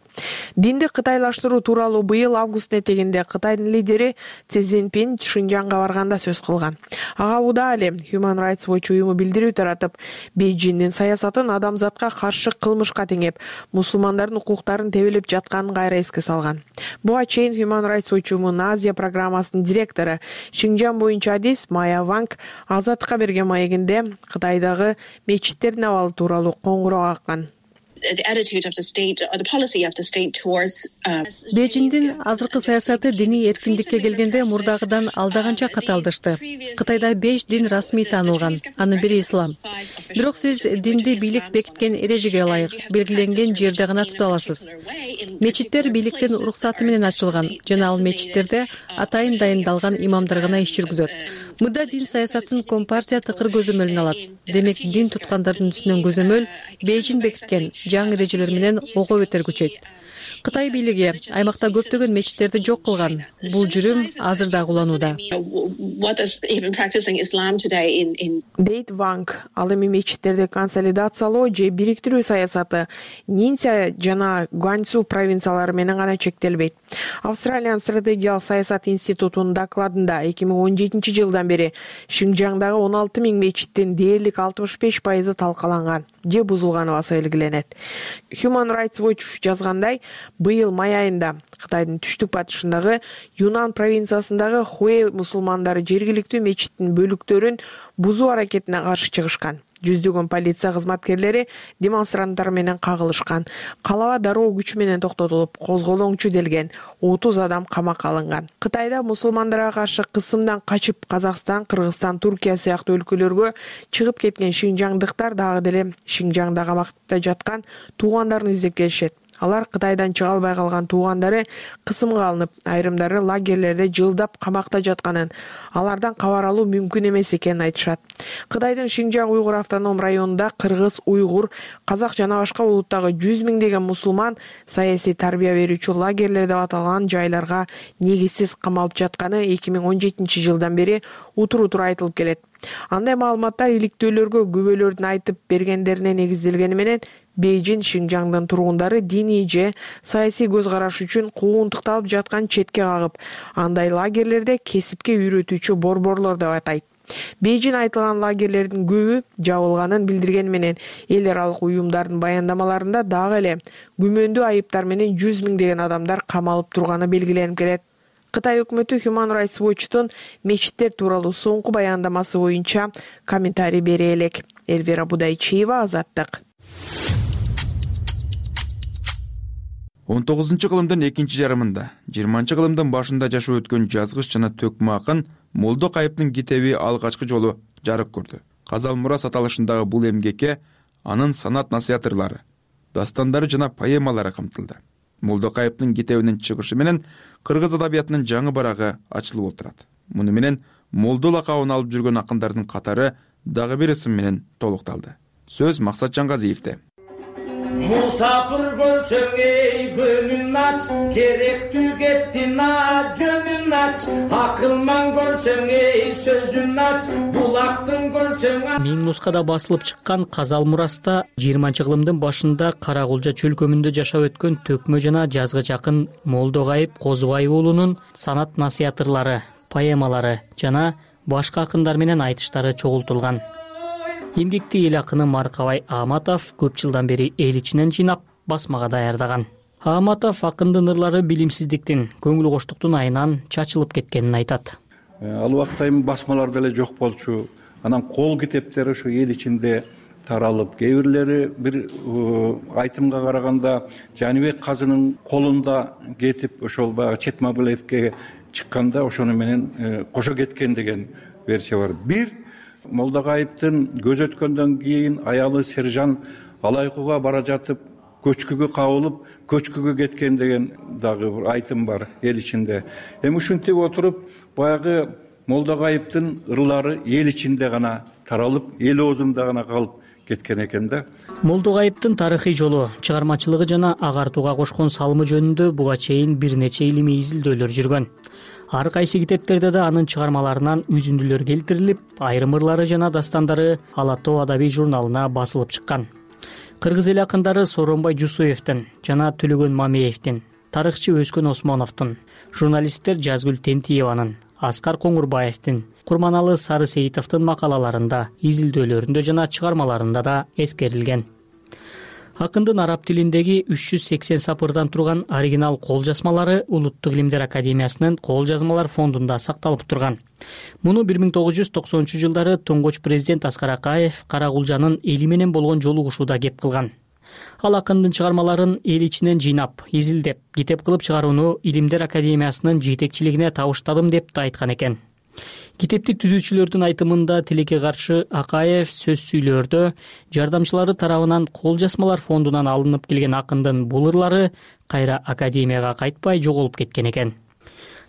Динди кытайлаштыруу тууралуу быйыл август этегинде Кытайдын лидери Си Цзиньпин Шинжаңга барганда сөз кылган. Ага удаа эле Human Rights Watch уюму билдирүү таратып, Бейжиңдин саясатын адамзатка каршы кылмышка теңеп, мусулмандардын укуктарын тебелеп жатканын кайра эске салган. Буга чейин Human Rights Watch уюмунун Азия программасынын директору Шинжаң боюнча адис Майя Ванг Азаттыкка берген маегинде Кытайдагы мечиттердин абалы тууралуу коңгуроо каккан. Бейжиңдин азыркы саясаты диний эркиндикке келгенде мурдагыдан алдаганча катаалдашты. Кытайда 5 дин расмий таанылган, анын бири ислам. Бирок сиз динди бийлик бекиткен эрежеге ылайык белгиленген жерде гана тута аласыз. Мечиттер бийликтин уруксаты менен ачылган жана ал мечиттерде атайын дайындалган имамдар гана иш жүргүзөт. Мында дин саясатын Компартия тыкыр көзөмөлүнө алат. Демек дин туткандардын үстүнөн көзөмөл Бейжиң бекиткен жаңы эрежелер менен ого бетер күчөйт. Кытай бийлиги аймакта көптөгөн мечиттерди жок кылган. Бул жүрүм азыр да куланууда. Дейт Ванг ал эми мечиттерди консолидациялоо же бириктирүү саясаты Нинся жана Гуанцзу провинциялары менен гана чектелбейт. Австралиянын стратегиялык саясат институтунун докладында 2017 жылдан бери Шинжаңдагы 16 000 мечиттин дээрлик 65% талкаланган же бузулганы баса белгиленет. Human Rights Watch жазгандай, быйыл май айында Кытайдын түштүк батышындагы Юнан провинциясындагы Хуэ мусулмандары жергиликтүү мечиттин бөлүктөрүн бузуу аракетине каршы чыгышкан. Жүздөгөн полиция кызматкерлери демонстранттар менен кагылышкан. Калаба дароо күч менен токтотулуп, козголоңчу делген 30 адам камакка алынган. Кытайда мусулмандарга каршы кысымдан качып Казакстан, Кыргызстан, Туркия сыяктуу өлкөлөргө чыгып кеткен шинжаңдыктар дагы деле Шинжаңда камакта жаткан туугандарын издеп келишет. Алар Кытайдан чыга албай калган туугандары кысымга алынып, айрымдары лагерлерде жылдап камакта жатканын, алардан кабар алуу мүмкүн эмес экенин айтышат. Кытайдын Шинжаң уйгур автоном районунда кыргыз, уйгур, казак жана башка улуттагы 100 миңдеген мусулман саясий тарбия берүүчү лагерлер деп аталган жайларга негизсиз камалып жатканы 2017 жылдан бери утур-утур айтылып келет. Андай маалыматтар иликтөөлөргө күбөлөрдүн айтып бергендерине негизделгени менен Бейжиң Шинжаңдын тургундары диний же саясий көз караш үчүн куугунтукталып жаткан четке кагып, андай лагерлерде кесипке үйрөтүүчү борборлор деп атайт. Бейжиң айтылган лагерлердин көбү жабылганын билдиргени менен эл аралык уюмдардын баяндамаларында дагы эле күмөндүү айыптар менен 100 миңдеген адамдар камалып турганы белгиленип келет. Кытай өкмөтү Human Rights Watch'тун мечиттер тууралуу соңку баяндамасы боюнча комментарий бере элек. Эльвира Будайчиева, Азаттык. 19-кылымдын экинчи жарымында, 20-кылымдын башында жашап өткөн жазгыч жана төкмө акын Молдо Кайыптын китеби алгачкы жолу жарык көрдү. Казал мурас аталышындагы бул эмгекке анын санат насыятырлары, дастандары жана поэмалары камтылды. Молдо Кайыптын китебинин чыгышы менен кыргыз адабиятынын жаңы барагы ачылып отурат. Муну менен Молдо лакабын алып жүргөн акындардын катары дагы бир ысым менен толукталды. Сөз Максат Жаңгазиевде. Мусапыр көрсөң эй көнүн ач, керектүү кептин жөнүн ач, акылман көрсөң эй сөзүн ач, булактын көрсөң. Миң нускада басылып чыккан Казал мураста 20-кылымдын башында Каракулжа чөлкөмүндө жашап өткөн төкмө жана жазгыч акын Молдо Кайып Козубаев уулунун санат насыятырлары, поэмалары жана башка акындар менен айтыштары чогултулган. Эмгекти эл акыны Маркабай Ааматов көп жылдан бери эл ичинен жыйнап басмага даярдаган. Ааматов акындын ырлары билимсиздиктин, көңүл коштуктун айынан чачылып кеткенин айтат. Ал убакта эми басмалар деле жок болчу. Анан кол китептер ошо эл ичинде таралып, кээ бирлери бир айтымга караганда Жаныбек Казынын колунда кетип, ошол баягы Четмабылевке чыкканда ошону менен кошо кеткен деген версия бар. Бир Молдо Кайыптын көз өткөндөн кийин аялы Сержан Алайкуга бара жатып, көчкүгө кабылып, көчкүгө кеткен деген дагы бир айтым бар эл ичинде. Эми ушинтип отуруп, баягы Молдо Кайыптын ырлары эл ичинде гана таралып, эл оозунда гана калып кеткен экен да. Молдо Кайыптын тарыхый жолу, чыгармачылыгы жана агартууга кошкон салымы жөнүндө буга чейин бир нече илимий изилдөөлөр жүргөн. Ар кайсы китептерде да анын чыгармаларынан үзүндүлөр келтирилип, айрым ырлары жана дастандары Ала Тоо адабий журналына басылып чыккан. кыргыз эл акындары Сооронбай Жусуевдин жана Төлөгөн Мамеевдин, тарыхчы Өскөн Осмоновдун, журналисттер Жазгүл Тентиеванын, Аскар Коңурбаевдин, Курманалы Сары Сейитовдун макалаларында, изилдөөлөрүндө жана чыгармаларында да эскерилген. Акындын араб тилиндеги 380 сапырдан турган оригинал кол жазмалары Улуттук илимдер академиясынын кол жазмалар фондунда сакталып турган. Муну 1990-жылдары туңгуч президент Аскар Акаев Карагулжанын эли менен болгон жолугушууда кеп кылган. Ал акындын чыгармаларын эл ичинен жыйнап, изилдеп, китеп кылып чыгарууну Илимдер академиясынын жетекчилигине табыштадым деп да айткан экен. Китепти түзүүчүлөрдүн айтымында тилекке каршы Акаев сөз сүйлөөрдө жардамчылары тарабынан кол жазмалар фондунан алынып келген акындын бул ырлары кайра академияга кайтпай жоголуп кеткен экен.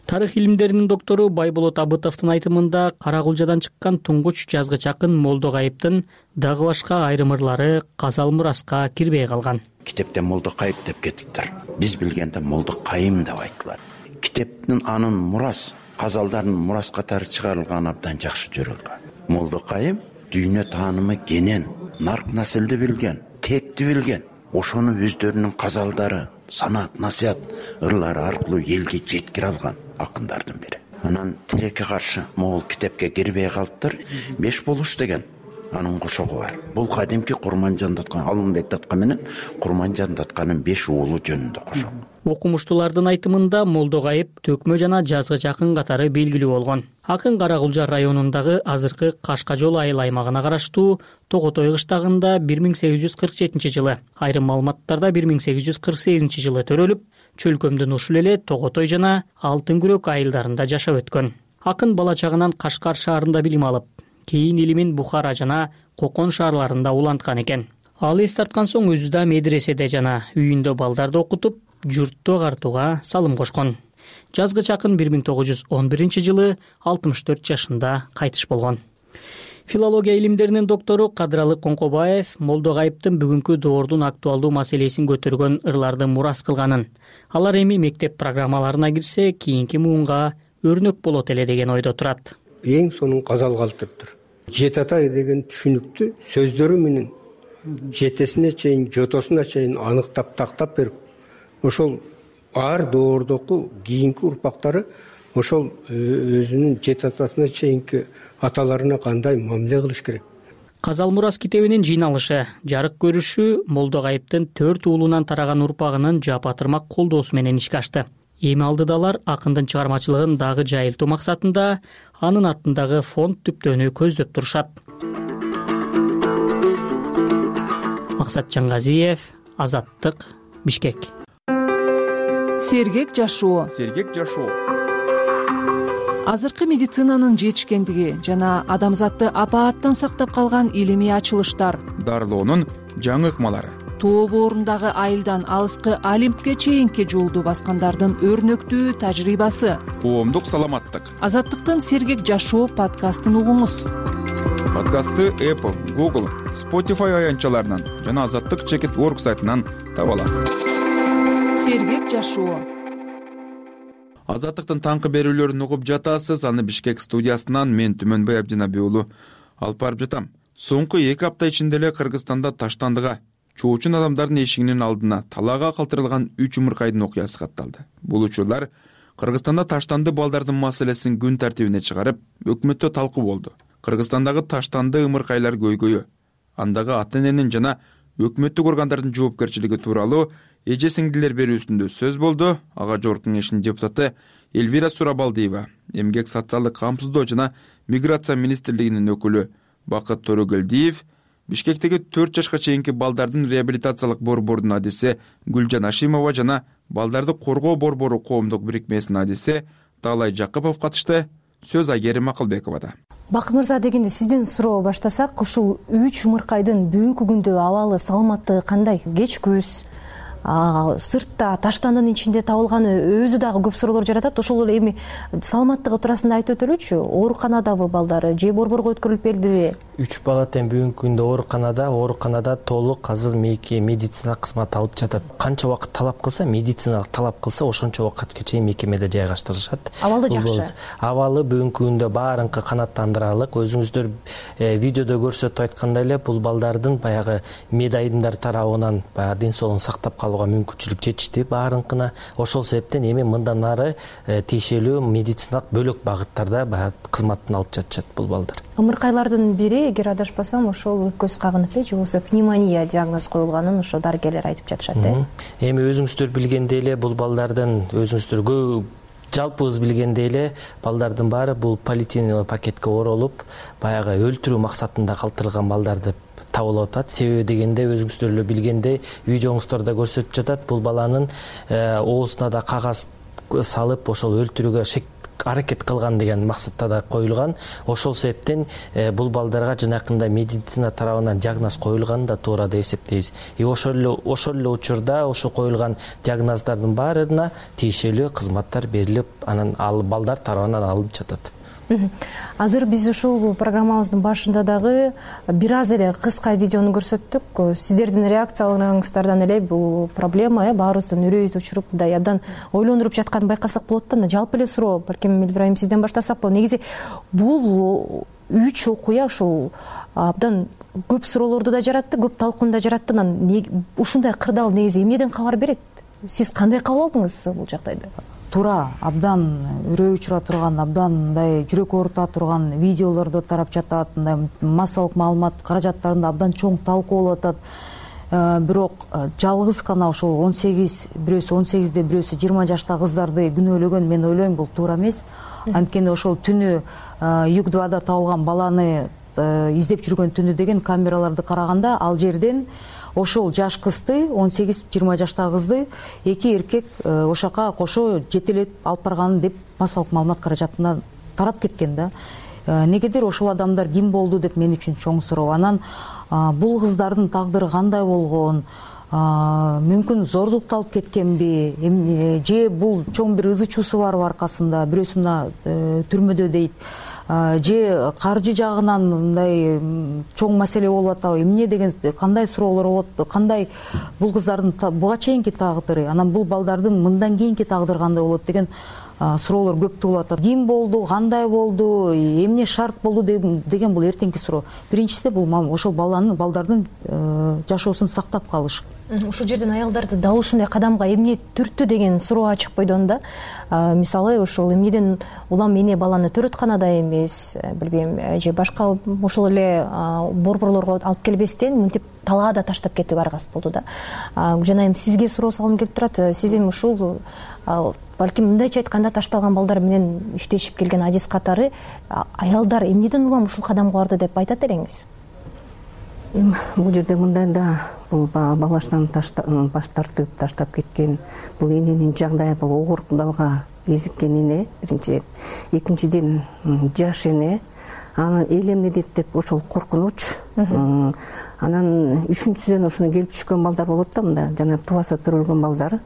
Тарых илимдеринин доктору Байболот Абытовдун айтымында Карагулжадан чыккан туңгуч жазгыч акын Молдокайыптын дагы башка айрым ырлары казал мураска кирбей калган. Китепте Молдокайып деп кетиптир. Биз билгенде Молдокайым деп айтылат. Китептин анын мурас казалдардын мурас катары чыгарылган абдан жакшы жөрөлгөн. Молдокайым дүйнө таанымы кенен, нарк населди билген, текти билген. Ошону өздөрүнүн казалдары, санат, насаят ырлары аркылуу элге жеткире алган акындардын бири. Анан тилекке каршы могул китепке кирбей калыптыр. 5 болуш деген анын кошогу бар. Бул кадимки Курманжан Даткан, Алымбек Даткан менен Курманжан Датканын 5 уулу жөнүндө кошок. Окумуштуулардын айтымында Молдокайып төкмө жана жазгыч акын катары белгилүү болгон. Акын Карагулжа районундагы азыркы Кашка жол айыл аймагына караштуу Тоготой кыштагында 1847 жылы, айрым маалыматтарда 1848 жылы төрөлүп, чөлкөмдүн ушул эле Тоготой жана Алтын күрөк айылдарында жашап өткөн. Акын бала чагынан Кашкар шаарында билим алып, кийин Илимин Бухара жана Кокон шаарларында уланткан экен. Ал эс тарткан соң өзү да медреседе жана үйүндө балдарды окутуп, журтту агартууга салым кошкон. Жазгыч акын 1911 жылы 64 жашында кайтыш болгон. Филология илимдеринин доктору Кадралы Коңкобаев Молдокайыптын бүгүнкү доордун актуалдуу маселесин көтөргөн ырларды мурас кылганын, алар эми мектеп программаларына кирсе, кийинки муунга өрнөк болот эле деген ойдо турат. Эң сонун казал калтырыптыр. Жет ата деген түшүнүктү сөздөрү менен жетесине чейин, жотосуна чейин аныктап тактап берип, ошол ар доордоку кийинки урпактары ошол өзүнүн жет атасына чейинки аталарына кандай мамиле кылыш керек. Казал мурас китебинин жыйналышы, жарык көрүшү Молдокайыптын 4 уулунан тараган урпагынын жапатырмак колдоосу менен ишке ашты. Эми алдыда алар акындын чыгармачылыгын дагы жайылтуу максатында анын атындагы фонд түптөөнү көздөп турушат. Максат Жаңгазиев, Азаттык, Бишкек. Сергек жашоо. Азыркы медицинанын жетишкендиги жана адамзатты апааттан сактап калган илимий ачылыштар. Дарылоонун жаңы ыкмалары. Тоо боорундагы айылдан алыскы Олимпке чейинки жолду баскандардын өрнөктүү тажрыйбасы. Коомдук саламаттык. Азаттыктын Сергек жашоо подкастын угуңуз. Подкастты Apple, Google, Spotify аянтчаларынан жана Азаттык.org сайтынан таба аласыз. Сергек жашоо. Азаттыктын таңкы берүүлөрүн угуп жатасыз. Аны Бишкек студиясынан мен Түмөнбай Абдинабий уулу алып барып жатам. Соңку 2 апта ичинде эле Кыргызстанда Таштандыга чоочун адамдардын эшигинин алдына талаага калтырылган 3 умуркайдын окуясы катталды. Бул учурлар Кыргызстанда таштанды балдардын маселесин күн тартибине чыгарып, өкмөттө талкуу болду. Кыргызстандагы таштанды ымыркайлар көйгөйү, андагы ата-эненин жана өкмөттүк органдардын жоопкерчилиги тууралуу эже сиңдилер берүүсүндө сөз болду. Ага жогорку кеңештин депутаты Элвира Сурабалдиева, эмгек социалдык камсыздоо жана миграция министрлигинин өкүлү Бакыт Төрөгөлдиев, Бишкектеги 4 жашка чейинки балдардын реабилитациялык борборунун адиси Гүлжан Ашимова жана балдарды коргоо борбору коомдук бирикмесинин адиси Таалай Жакыпов катышты. Сөз Айгерим Акылбековада. Бакыт мырза, дегенде сизден суроо баштасак, ушул 3 умуркайдын бүгүнкү күндө абалы, саламаттыгы кандай? Кеч күз, сыртта таштандын ичинде табылганы өзү дагы көп суроолор жаратат. Ошол эле эми саламаттыгы туурасында айтып өтөлүчү. Ооруканадабы балдары же борборго өткөрүлүп бердиби? 3 бала тең бүгүнкү күндө ооруканада толук азыр медициналык кызмат алып жатат. Канча убакыт талап кылса, медициналык талап кылса, ошончо убакытка чейин мекемеде жайгаштырышат. Абалы жакшы. Абалы бүгүнкү күндө баарынкы канааттандыралык. Өзүңүздөр видеодо көрсөтүп айткандай эле, бул балдардын баягы медайымдар тарабынан баягы ден соолугун сактап калууга мүмкүнчүлүк жетишти баарынкына. Ошол себептен эми мындан ары тиешелүү медициналык бөлөк багыттарда баягы кызматын алып жатышат бул балдар. Ымыркайлардын бири, эгер адашпасам, ошол көз кагынып же болбосо пневмония диагноз коюлганын ошо дарыгерлер айтып жатышат. Эми өзүңүздөр билгендей эле бул балдардын жалпыбыз билгендей эле балдардын баары бул полиэтиленовый пакетке оролуп, баягы өлтүрүү максатында калтырылган балдар деп табылып атат. Себеби дегенде өзүңүздөр эле билгендей, видеоңуздарда көрсөтүп жатат, бул баланын оозуна да кагаз салып, ошол өлтүрүүгө аракет кылган деген максатта да коюлган. Ошол себептен бул балдарга жанакындай медицина тарабынан диагноз коюлганын да туура деп эсептейбиз. Ошол эле учурда ошол коюлган диагноздардын баарына тиешелүү кызматтар берилип, анан ал балдар тарабынан алынып жатат. Азыр биз ушул программабыздын башында дагы бир аз эле кыска видеону көрсөттүк. Сиздердин реакцияларыңыздардан эле бул проблема баарыбыздын үрөйүбүздү учуруп, мындай абдан ойлондуруп жатканын байкасак болот да. Жалпы эле суроо, балким Ибрайым сизден баштасак болот. Негизи бул 3 окуя ушул абдан көп суроолорду да жаратты, көп талкууну да жаратты. Ушундай кырдаал негизи эмнеден кабар берет? Сиз кандай кабыл алдыңыз бул жагдайды? Туура, абдан үрөй учура турган, абдан мындай жүрөк оорута турган видеолорду тарап жатат, мындай массалык маалымат каражаттарында абдан чоң талкуу болуп атат. Бирок жалгыз гана ошол 18 18де бирөөсү 20 жашта кыздарды күнөөлөгөн, мен ойлойм бул туура эмес. Анткени ошол түнү Юг-2да табылган баланы издеп жүргөн түнү деген камераларды караганда, ал жерден ошол жаш кызды, 18-20 жаштагы кызды эки эркек ошака кошо жетелеп алып барган деп массалык маалымат каражатына тарап кеткен да. Негедир ошол адамдар ким болду деп мен үчүн чоң суроо. Анан бул кыздардын тагдыры кандай болгон? Мүмкүн зордукталып кеткенби? Же бул чоң бир ызы чуусу барбы аркасында? Бирөөсү мына түрмөдө дейт. Же каржы жагынан мындай чоң маселе болуп атабы? Эмне деген кандай суроолор болот? Кандай бул кыздардын буга чейинки тагдыры, анан бул балдардын мындан кийинки тагдыры кандай болот деген суроолор көп туулуп атат. Ким болду, кандай болду, эмне шарт болду деген бул эртеңки суроо. Биринчиси бул ошол балдардын жашоосун сактап калыш. Ушул жерден аялдарды дал ушундай кадамга эмне түрттү деген суроо ачык бойдон да. Мисалы ушул эмнеден улам эне баланы төрөтканада эмес, билбейм, же башка ошол эле борборлорго алып келбестен мынтип талаада таштап кетүүгө аргасыз болду да. Жана эми сизге суроо салгым келип турат. Сиз эми ушул балким мындайча айтканда ташталган балдар менен иштешип келген адис катары аялдар эмнеден улам ушул кадамга барды деп айтат элеңиз? Бул жерде мындай да, бул балаштан баш тартып таштап кеткен, бул эненин жагдайы бул оор кудалга кезиккен эне, биринчи. Экинчиден жаш эне, аны эл эмне дейт деп ошол коркунуч. Анан үчүнчүсүдөн ушуну келип түшкөн балдар болот да, мында жана тубаса төрөлгөн балдар,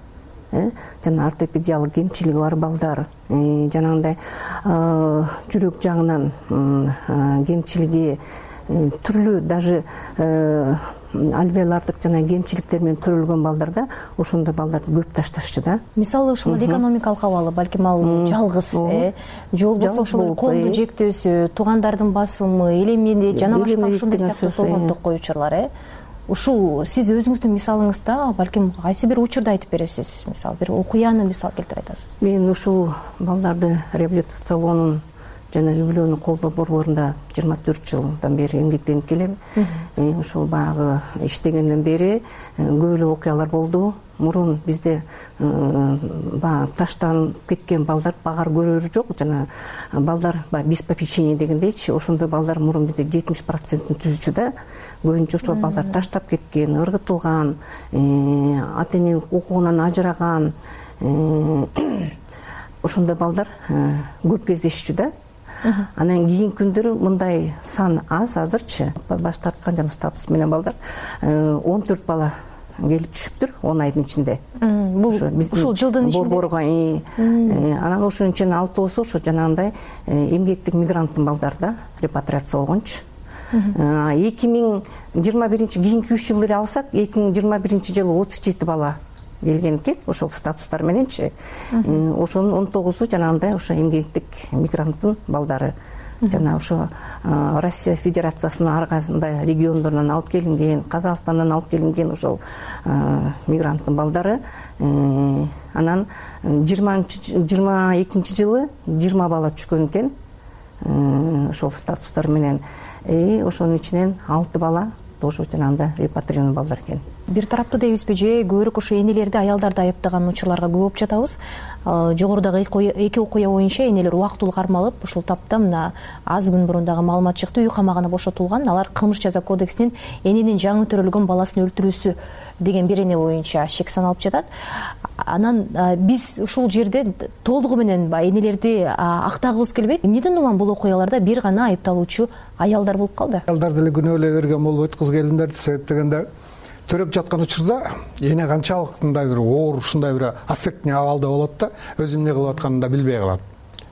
жана ортопедиялык кемчилиги бар балдар, жанагындай жүрөк жагынан кемчилиги түрлүү, даже альвеолардык жана кемчиликтер менен төрөлгөн балдарда ошондой балдарды көп ташташчу да. Мисалы ушул экономикалык абалы, балким ал жалгыз, же болбосо ошол коомдун жектөөсү, туугандардын басымы, эл эмне жана башка ушундай сыяктуу болгондук коючулар. Ушул сиз өзүңүздүн мисалыңызда балким кайсы бир учурду айтып бересиз? Мисалы бир окуяны мисал келтирип айтасыз. Мен ушул балдарды реабилитациялоонун жана үй-бүлөнү колдоо борборунда 24 жылдан бери эмгектенип келем. Ошол баягы иштегенден бери көп эле окуялар болду. Мурун бизде баягы таштанып кеткен балдар багар көрөрү жок, жана балдар без попечения дегендейчи, ошондой балдар мурун бизде 70% түзүчү да. Көбүнчө ошол балдар таштап кеткен, ыргытылган, ата эненин укугунан ажыраган, ошондой балдар көп кездешчү да. Анан кийинки күндөрү мындай сан аз азырчы, баш тарткан жана статус менен балдар 14 бала келип түшүптүр 10 айдын ичинде. Ушул жылдын ичинде борборго. Анан ошонун ичинен 6 ошо жанагындай эмгектик мигранттын балдары да репатриация болгончу. кийинки 3 жыл эле алсак 2021 жылы 37 бала келген экен ошол статустар мененчи. Ошонун 19-у жанагындай ошо эмгектик мигранттын балдары. Жана ошо Россия Федерациясынын ар кандай региондорунан алып келинген, Казакстандан алып келинген ошол мигранттын балдары. Анан 22 жылы 20 бала түшкөн экен ошол статустар менен. Ошонун ичинен 6 бала тоже жанагындай репатриированный балдар экен. Бир тараптуу дейбизби же көбүрөөк ошо энелерди аялдарды айыптаган учурларга көп болуп жатабыз. Жогорудагы эки окуя боюнча энелер убактылуу кармалып, ушул тапта мына аз күн мурун дагы маалымат чыкты, үй камагына бошотулган. Алар кылмыш жаза кодексинин эненин жаңы төрөлгөн баласын өлтүрүүсү деген бир эне боюнча шек саналып жатат. Анан биз ушул жерде толугу менен энелерди актагыбыз келбейт. Эмнеден улам бул окуяларда бир гана айыпталуучу аялдар болуп калды? Аялдар деле күнөөлөй берген болбойт кыз келиндерди, себеп дегенде төрөп жаткан учурда эне канчалык мындай бир оор, ушундай бир аффектный абалда болот да, өзү эмне кылып атканын да билбей калат.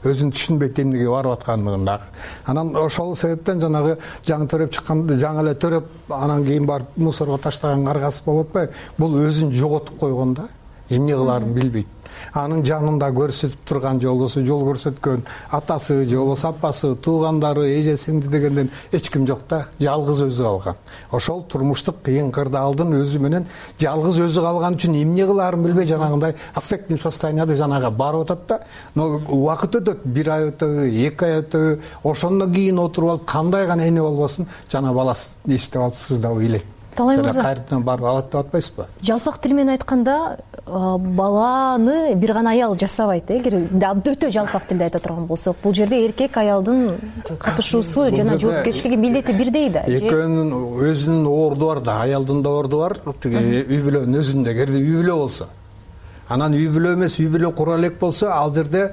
Өзүн түшүнбөйт эмнеге барып аткандыгын дагы. Анан ошол себептен жанагы жаңы төрөп чыкканда жаңы эле төрөп анан кийин барып мусорго таштаган каргасы болуп атпайбы? Бул өзүн жоготуп койгон да, эмне кылаарын билбейт. Анын жанында көрсөтүп турган же болбосо жол көрсөткөн атасы же болбосо апасы, туугандары, эжесинди дегенден эч ким жок да, жалгыз өзү калган. Ошол турмуштук кыйын кырдаалдын өзү менен жалгыз өзү калган үчүн эмне кылаарын билбей жанагындай аффектный состоянияда жанага барып атат да. Но убакыт өтөт, 1 ай өтөбү, 2 ай өтөбү, ошондон кийин отуруп алып кандай гана эне болбосун жана баласы эстеп алыпсыз да ойлойт. Талай мырза, кайрадан барып алат деп атпайсызбы? Жалпак тил менен айтканда баланы бир гана аял жасабайт. Эгер өтө жалпак тилде айта турган болсок, бул жерде эркек аялдын катышуусу жана жоопкерчилиги милдети бирдей да. Экөөнүн өзүнүн орду бар да, аялдын да орду бар. Тиги үй бүлөнүн өзүндө эгерде үй бүлө болсо. Анан үй бүлө эмес, үй бүлө кура элек болсо, ал жерде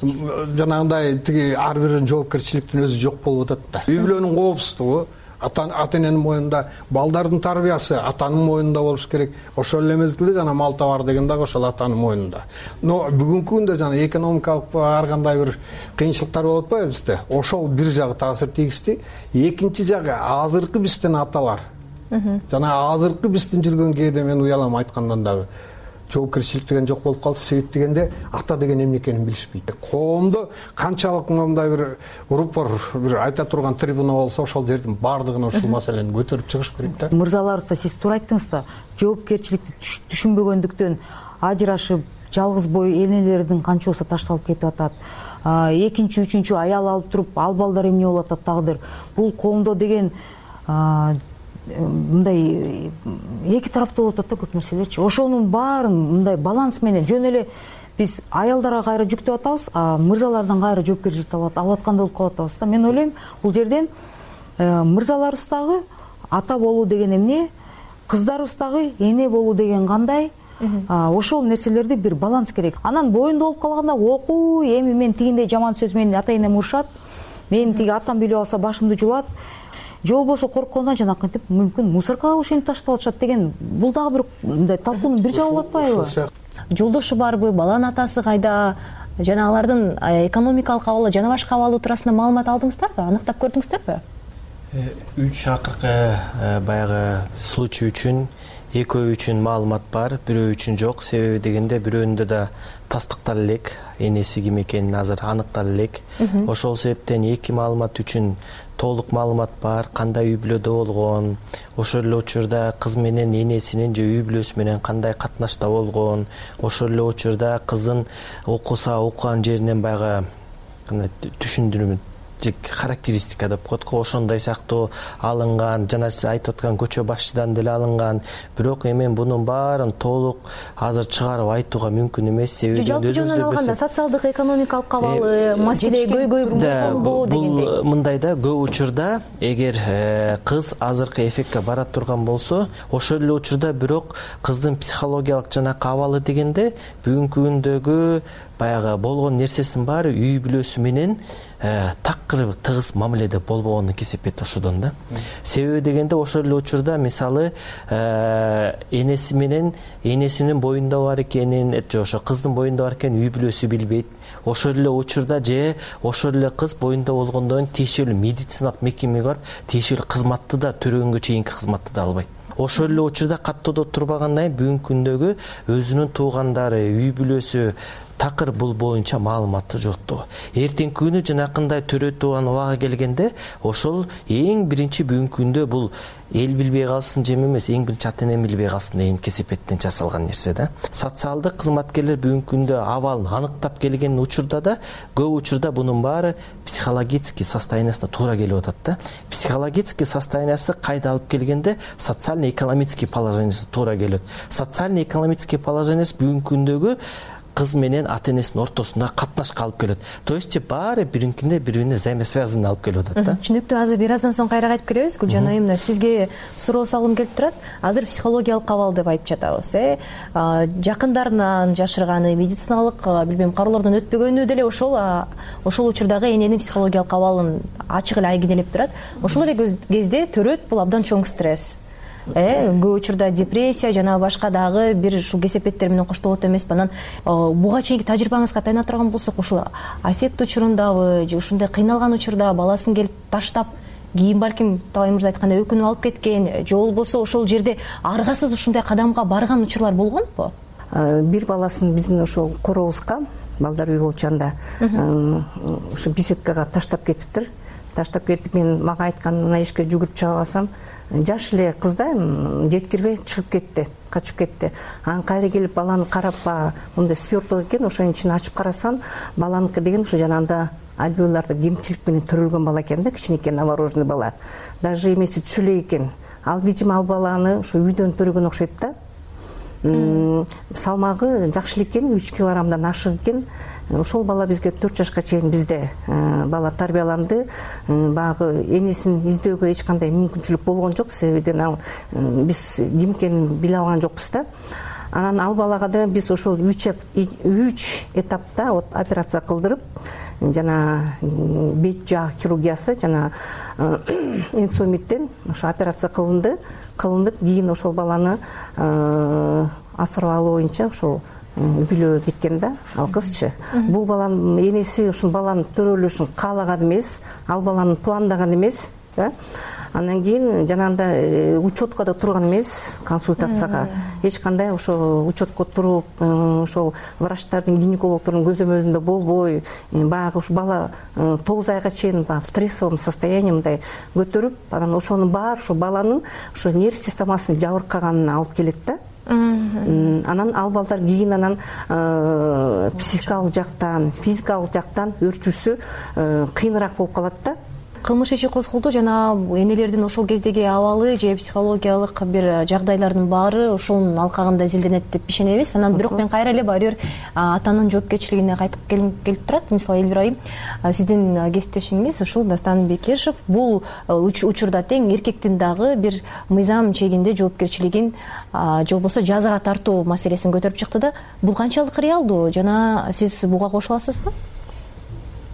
жанагындай тиги ар биринин жоопкерчиликтин өзү жок болуп атат да. Үй бүлөнүн коопсуздугу ата-эненин моюнда, балдардын тарбиясы атанын моюнда болуш керек. Ошол эле мезгилде жана мал табар деген дагы ошол атанын моюнда. Но бүгүнкү күндө жана экономикалык ар кандай бир кыйынчылыктар болуп атпайбы бизде? Ошол бир жагы таасир тийгизди. Экинчи жагы азыркы биздин аталар. Жана азыркы биздин жүргөн кээде мен уялам айткандан дагы. Жоопкерчилик деген жок болуп калды, себеп дегенде ата деген эмне экенин билишпейт. Коомдо канчалык мындай бир урупор бир айта турган трибуна болсо, ошол жердин баардыгына ушул маселени көтөрүп чыгыш керек да. Мырзаларыбыз, сиз туура айттыңыз да, жоопкерчиликти түшүнбөгөндүктөн ажырашып, жалгыз бой энелердин канчоосу ташталып кетип атат. Экинчи, үчүнчү аял алып туруп, ал балдар эмне болуп атат дагы. Бул коомдо деген мындай эки тараптуу болуп атат да көп нерселерчи. Ошонун баарын мындай баланс менен жөн эле биз аялдарга кайра жүктөп атабыз, мырзалардан кайра жоопкерчиликти алып аткандай болуп калып атабыз да. Мен ойлойм, бул жерден мырзаларыбыз дагы ата болуу деген эмне, кыздарыбыз дагы эне болуу деген кандай, ошол нерселерди бир баланс керек. Анан боюнда болуп калганда окуу, эми мен тигиндей жаман сөз менин ата-энем урушат, мен тиги атам билип алса башымды жулат, же болбосо корккондон жанакынтип мүмкүн мусоркага ошентип таштап атышат деген, бул дагы бир мындай талкуунун бир жагы болуп атпайбы? Жолдошу барбы, баланын атасы кайда, жана алардын экономикалык абалы жана башка абалы туурасында маалымат алдыңыздарбы, аныктап көрдүңүздөрбү? 3 акыркы баягы случай үчүн экөө үчүн маалымат бар, бирөө үчүн жок. Себеби дегенде бирөөнүндө да тастыктала элек, энеси ким экенин азыр аныктала элек. Ошол себептен эки маалымат үчүн толук маалымат бар, кандай үй бүлөдө болгон, ошол эле учурда кыз менен энесинин же үй бүлөсү менен кандай катнашта болгон, ошол эле учурда кыздын окуган жеринен баягы түшүндүрмө характеристика деп коет го, ошондой сыяктуу алынган, жана сиз айтып аткан көчө башчыдан деле алынган. Бирок эми бунун баарын толук азыр чыгарып айтууга мүмкүн эмес. Себеби жалпы жөнүнөн алганда социалдык экономикалык абалы маселе көйгөй болгонбу дегендей. Бул мындай да, көп учурда эгер кыз азыркы эффектке бара турган болсо, ошол эле учурда бирок кыздын психологиялык жанакы абалы дегенде бүгүнкү күндөгү баягы болгон нерсесин баары үй бүлөсү менен такыр тыгыз мамиледе болбогонун кесепет ошодон да. Себеби дегенде ошол эле учурда мисалы энеси менен энесинин боюнда бар экенин, ошо кыздын боюнда бар экенин үй бүлөсү билбейт. Ошол эле учурда же ошол эле кыз боюнда болгондон кийин тиешелүү медициналык мекемеге барып тиешелүү кызматты да төрөгөнгө чейинки кызматты да албайт. Ошол эле учурда каттоодо турбагандан кийин бүгүнкү күндөгү өзүнүн туугандары, үй бүлөсү такыр бул боюнча маалыматы жоктугу. Эртеңки күнү жанакындай төрөтүүган убага келгенде ошол эң биринчи бүгүнкү күндө бул эл билбей калсын жем эмес, эң биринчи ата эне билбей калсын деген кесепеттен жасалган нерсе да. Социалдык кызматкерлер бүгүнкү күндө абалын аныктап келген учурда да көп учурда бунун баары психологический состояниясына туура келип атат да. Психологический состояниясы кайда алып келгенде социально-экономический положениясы туура келет. Социально-экономический положениясы бүгүнкү күндөгү кыз менен ата энесинин ортосунда катнашка алып келет. То есть баары биринкинде бири бирине взаимосвязанный алып келип атат да. Түшүнүктүү. Азыр бир аздан соң кайра кайтып келебиз. Гүлжан айым, сизге суроо салгым келип турат. Азыр психологиялык абал деп айтып жатабыз. Жакындарынан жашырганы, медициналык билбейм кароолордон өтпөгөнү деле ошол учурдагы эненин психологиялык абалын ачык эле айгинелеп турат. Ошол эле кезде төрөт бул абдан чоң стресс. Көп учурда депрессия жана башка дагы бир ушул кесепеттер менен коштолот эмеспи. Анан буга чейинки тажрыйбаңызга тайына турган болсок, ушул аффект учурундабы же ушундай кыйналган учурда баласын келип таштап, кийин балким Талай мырза айткандай өкүнүп алып кеткен, же болбосо ошол жерде аргасыз ушундай кадамга барган учурлар болгонбу? Бир баласын биздин ошол корообузга, балдар үй болчанда ушу беседкага таштап кетиптир. Таштап кетип, мага айткан, мына эшикке жүгүрүп чыга алсам, жаш эле кыз да, жеткирбей чыгып кетти, качып кетти. Анан кайра келип баланы карап, мындай сверток экен, ошонун ичин ачып карасам, баланыкы деген ушу жанагында альвеоларды кемчилик менен төрөлгөн бала экен да, кичинекей новорожденный бала. Даже эмеси түшө элек экен. Ал видимо ал баланы ушу үйдөн төрөгөн окшойт да. Салмагы жакшы эле экен, 3 килограммдан ашык экен. Ошол бала бизге 4 жашка чейин бизде бала тарбияланды. Багы энесин издөөгө эч кандай мүмкүнчүлүк болгон жок, себебиден биз ким экенин биле алган жокпуз да. Анан ал балага да биз ошол 3 этапта операция кылдырып, жана бет жаа хирургиясы, жана инсумиттен ошо операция кылынып, кийин ошол баланы асырап алуу боюнча ошол үйлөө кеткен да, ал кызчы. Бул баланын энеси ушул баланын төрөлүшүн каалаган эмес, ал баланын пландаган эмес да. Андан кийин жанагындай учетко да турган эмес, консультацияга. Эч кандай ошо учетко туруп, ошол врачтардын, гинекологдордун көзөмөлүндө болбой, баягы ушу бала 9 айга чейин в стрессовом состоянии мындай көтөрүп, анан ошонун баары ошо баланын ошо нерв системасынын жабыркаганына алып келет да. Анан ал балдар кийин анан психикалык жактан, физикалык жактан өрчүүсү кыйыныраак болуп калат да. Кылмыш иши козголду, жана энелердин ошол кездеги абалы же психологиялык бир жагдайлардын баары ошонун алкагында изилденет деп ишенебиз. Анан бирок мен кайра эле баары бир атанын жоопкерчилигине кайтып келип турат. Мисалы Элвира айым, сиздин кесиптешиңиз ушул Дастан Бекешев бул учурда тең эркектин дагы бир мыйзам чегинде жоопкерчилигин же болбосо жазага тартуу маселесин көтөрүп чыкты да. Бул канчалык реалдуу жана сиз буга кошула аласызбы?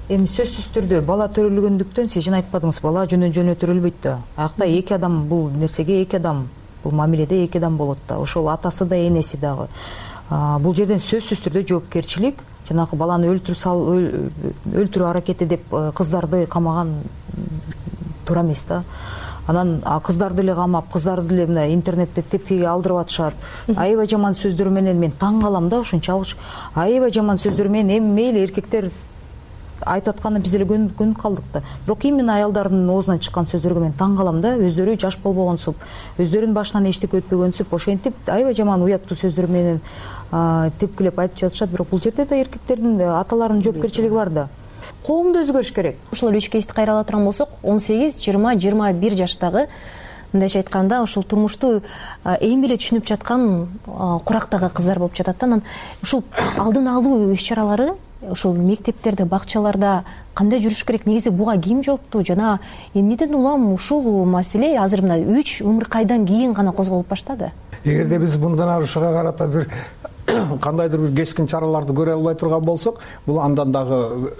Эми сөзсүз түрдө бала төрөлгөндүктөн сиз жана айтпадыңыз, бала жөнө төрөлбөйт да. Аякта эки адам, бул нерсеге эки адам, бул мамиледе эки адам болот да. Ошол атасы да, энеси дагы. Бул жерден сөзсүз түрдө жоопкерчилик, жанагы баланы өлтүрүү аракети деп кыздарды камаган туура эмес да. Анан кыздарды эле камап, кыздарды эле мына интернетте тепкиге алдырып атышат. Аябай жаман сөздөр менен мен таң калам да, ушунчалык аябай жаман сөздөр менен эми мейли эркектер айтып атканы биз эле көнүп калдык да. Бирок именно аялдардын оозунан чыккан сөздөргө мен таң калам да. Өздөрү жаш болбогонсуп, өздөрүнүн башынан эчтеке өтпөгөнсүп, ошентип аябай жаман уяттуу сөздөр менен тепкилеп айтып жатышат. Бирок бул жерде да эркектердин, аталардын жоопкерчилиги бар да. Коомдо өзгөрүш керек. Ошол 3 кейсти кайра ала турган болсок, 18, 20, 21 жаштагы мындайча айтканда ушул турмушту эми эле түшүнүп жаткан курактагы кыздар болуп жатат да. Анан ушул алдын алуу иш-чаралары ошол мектептерде, бакчаларда кандай жүрүш керек? Негизи буга ким жооптуу? Жана эмнеден улам ушул маселе азыр мына 3 умуркайдан кийин гана козголуп баштады? Эгерде биз мындан ары ушуга карата бир кандайдыр бир кескин чараларды көрө албай турган болсок, бул андан дагы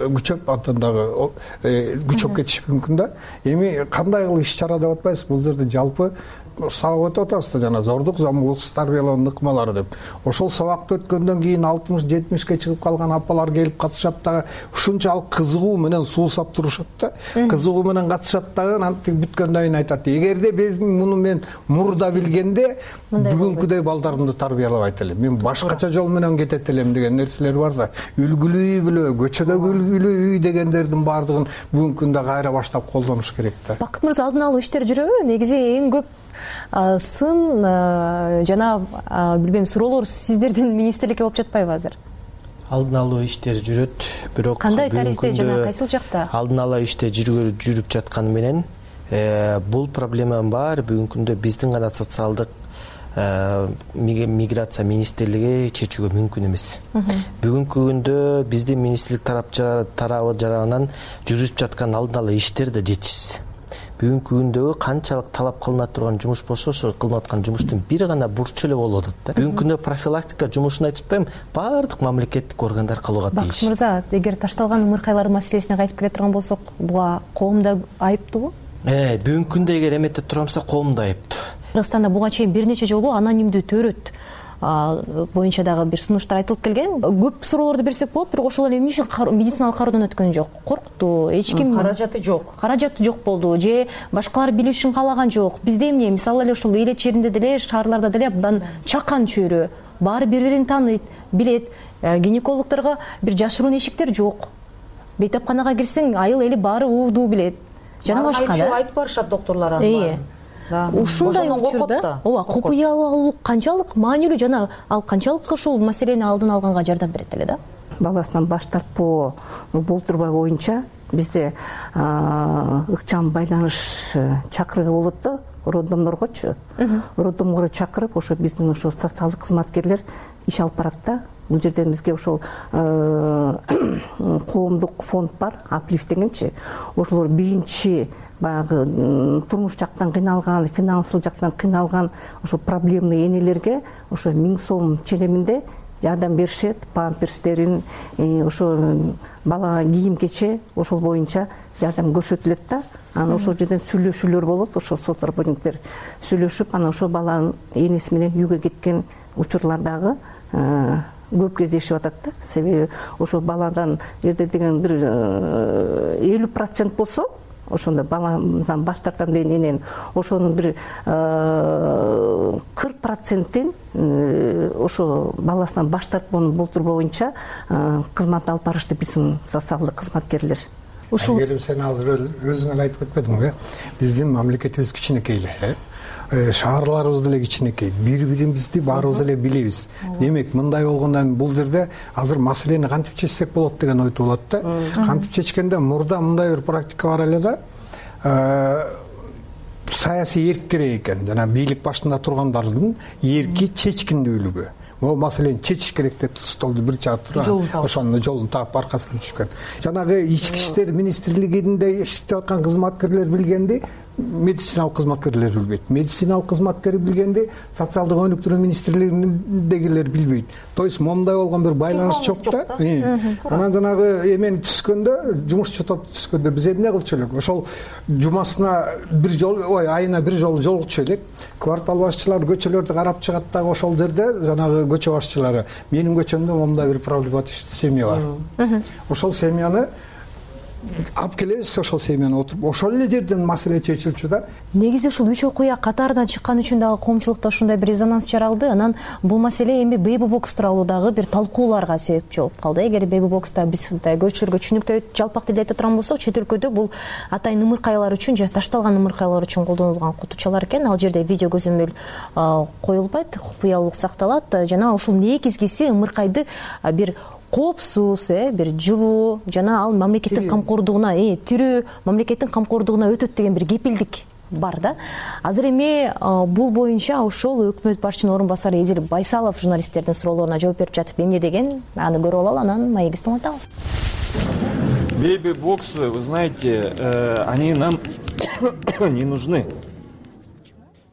күчөп кетиши мүмкүн да. Эми кандай кылып иш чара деп атпайбыз, бул жерде жалпы сабак өтүп атабыз да, жана зордук, зомбулук, тарбиялоо ыкмалары деп. Ошол сабакты өткөндөн кийин 60-70ке чыгып калган апалар келип катышат дагы, ушунчалык кызыгуу менен суусап турушат да. Кызыгуу менен катышат дагы, антип бүткөндөн кийин айтат: эгерде муну мен мурда билгенде бүгүнкүдөй балдарымды тарбиялабайт элем, мен башкача жол менен кетет элем деген нерселер бар да. Үлгүлүү үй бүлө, көчөдөгү үлгүлүү үй дегендердин баардыгын бүгүнкү күндө кайра баштап колдонуш керек да. Бакыт мырза, алдын алуу иштер жүрөбү? Негизи эң көп сын жана билбейм суроолор сиздердин министрликке болуп жатпайбы азыр? Алдын алуу иштер жүрөт, бирок кандай таристе жана кайсыл жакта? Алдын алуу иштер жүрүп жатканы менен бул проблеманын баары бүгүнкү күндө биздин гана социалдык миграция министрлиги чечүүгө мүмкүн эмес. Бүгүнкү күндө биздин министрлик тарабы жаранынан жүрүп жаткан алдын алуу иштер да жетишсиз. Бүгүнкү күндөгү канчалык талап кылына турган жумуш болсо, ошо кылынып аткан жумуштун бир гана бурчу эле болуп атат да. Бүгүнкү күндө профилактика жумушун айтып атпайм, баардык мамлекеттик органдар кылууга тийиш. Бакыт мырза, эгер ташталган ымыркайлар маселесине кайтып келе турган болсок, буга коом да айыптуубу? Бүгүнкү күндө эгер эметтеп турганса, коом да айыптуу. Кыргызстанда буга чейин бир нече жолу анонимдүү төрөт боюнча дагы бир сунуштар айтылып келген. Көп суроолорду берсек болот, бирок ошол эле эмне үчүн медициналык кароодон өткөн жок? Коркту, эч ким каражаты жок. Каражаты жок болду, же башкалар билүү үчүн каалаган жок. Бизде эмне, мисалы эле ушул эл черинде деле, шаарларда деле абдан чакан чөйрө, баары бири-бирин тааныйт, билет. Гинекологдорго бир жашыруун эшиктер жок. Бейтапканага кирсең, айыл эли баары уудуу билет. Жана башка да. Айтып барышат доктурлар аны. Ушундай учурда ооба, купуялуулук канчалык маанилүү жана ал канчалык ушул маселени алдын алганга жардам берет эле да? Баласынан баш тартпоо болтурбай боюнча бизде ыкчам байланыш чакырууга болот да, роддомдоргочу. Роддомго чакырып, ошо биздин ошо социалдык кызматкерлер иш алып барат да. Бул жерден бизге ошол коомдук фонд бар, Аплифт дегенчи. Ошолор биринчи баягы турмуш жактан кыйналган, финансылык жактан кыйналган ошо проблемный энелерге ошо 1000 сом ченеминде жардам беришет, памперстерин, ошо бала кийим-кече ошол боюнча жардам көрсөтүлөт да. Анан ошол жерден сүйлөшүүлөр болот, ошо сот работниктер сүйлөшүп, анан ошо баланын энеси менен үйгө кеткен учурлар дагы көп кездешип атат да. Себеби ошо баладан эрде деген бир 50% болсо, ошондо баламдан баш тартам деген энен ошонун бир 40%-ин ошо баласынан баш тартпоонун болтурбоо боюнча кызмат алып барышты биздин социалдык кызматкерлер. Келип сен азыр өзүң эле айтып кетпедиңби? Биздин мамлекетибиз кичинекей эле. Шаарларыбыз деле кичинекей, бири-бирибизди баарыбыз эле билебиз. Демек, мындай болгондон бул жерде азыр маселени кантип чечсек болот деген ойдо болот да. Кантип чечкенде мурда мындай бир практика бар эле да. Саясий эрк керек экен, жана бийлик башында тургандардын эрки чечкиндүүлүгү. Могу маселени чечиш керек деп столду бир чаап туруп, ошонун жолун таап аркасынан түшкөн. Жанагы ички иштер министрлигинде иштеп аткан кызматкерлер билгенди, медициналык кызматкерлер билбейт. Медициналык кызматкер билгенди, социалдык өнүктүрүү министрлигиндегилер билбейт. То есть момундай болгон бир байланыш жок да. Анан жанагы эмени түзгөндө, жумушчу топту түзгөндө биз эмне кылчу элек? Ошол жумасына бир жолу, айына бир жолу жолугучу элек. Квартал башчылар көчөлөрдү карап чыгат дагы ошол жерде жанагы көчө башчылары. Менин көчөмдө момундай бир проблематичный семья бар. Ошол семьяны алып келебиз, ошол семьяны отуруп, ошол эле жерден маселе чечилчү да. Негизи ушул 3 окуя катарынан чыккан үчүн дагы коомчулукта ушундай бир резонанс жаралды. Анан бул маселе эми Baby Box тууралуу дагы бир талкууларга себепчи болуп калды. Эгер Baby Box'та биз көчөлөргө түшүнүктүү жалпак тилде айта турган болсок, чет өлкөдө бул атайын ымыркайлар үчүн же ташталган ымыркайлар үчүн колдонулган кутучалар экен. Ал жерде видео көзөмөл коюлбайт, купуялуулук сакталат жана ушул негизгиси ымыркайды бир коопсуз, бир жылуу жана ал мамлекеттин камкордугуна, тирүү мамлекеттин камкордугуна өтөт деген бир кепилдик бар да. Азыр эми бул боюнча ошол өкмөт башчынын орун басары Эзил Байсалов журналисттердин суроолоруна жооп берип жатып эмне деген, аны көрүп алалы, анан маегибизди улантабыз. Baby Box, вы знаете, они нам не нужны.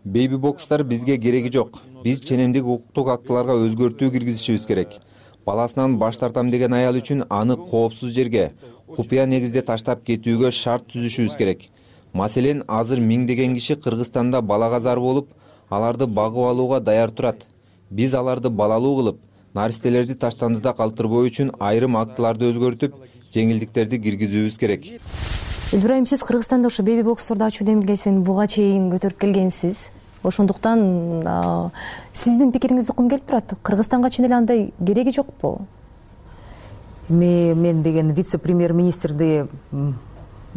Baby Box'тар бизге кереги жок. биз ченемдик укуктук актыларга өзгөртүү киргизишибиз керек. Баласынан баш тартам деген аял үчүн аны коопсуз жерге, купуя негизде таштап кетүүгө шарт түзүшүбүз керек. Маселен, азыр миңдеген киши Кыргызстанда балага зар болуп, аларды багып алууга даяр турат. Биз аларды балалуу кылып, наристелерди таштандыда калтырбоо үчүн айрым актыларды өзгөртүп, жеңилдиктерди киргизүүбүз керек. Элбирайым, сиз Кыргызстанда ошо беби боксторду ачуу демилгесин буга чейин көтөрүп келгенсиз. Ошондуктан сиздин пикириңизди уккум келип турат. Кыргызстанга чын эле андай кереги жокпу? Мен деген вице-премьер-министрди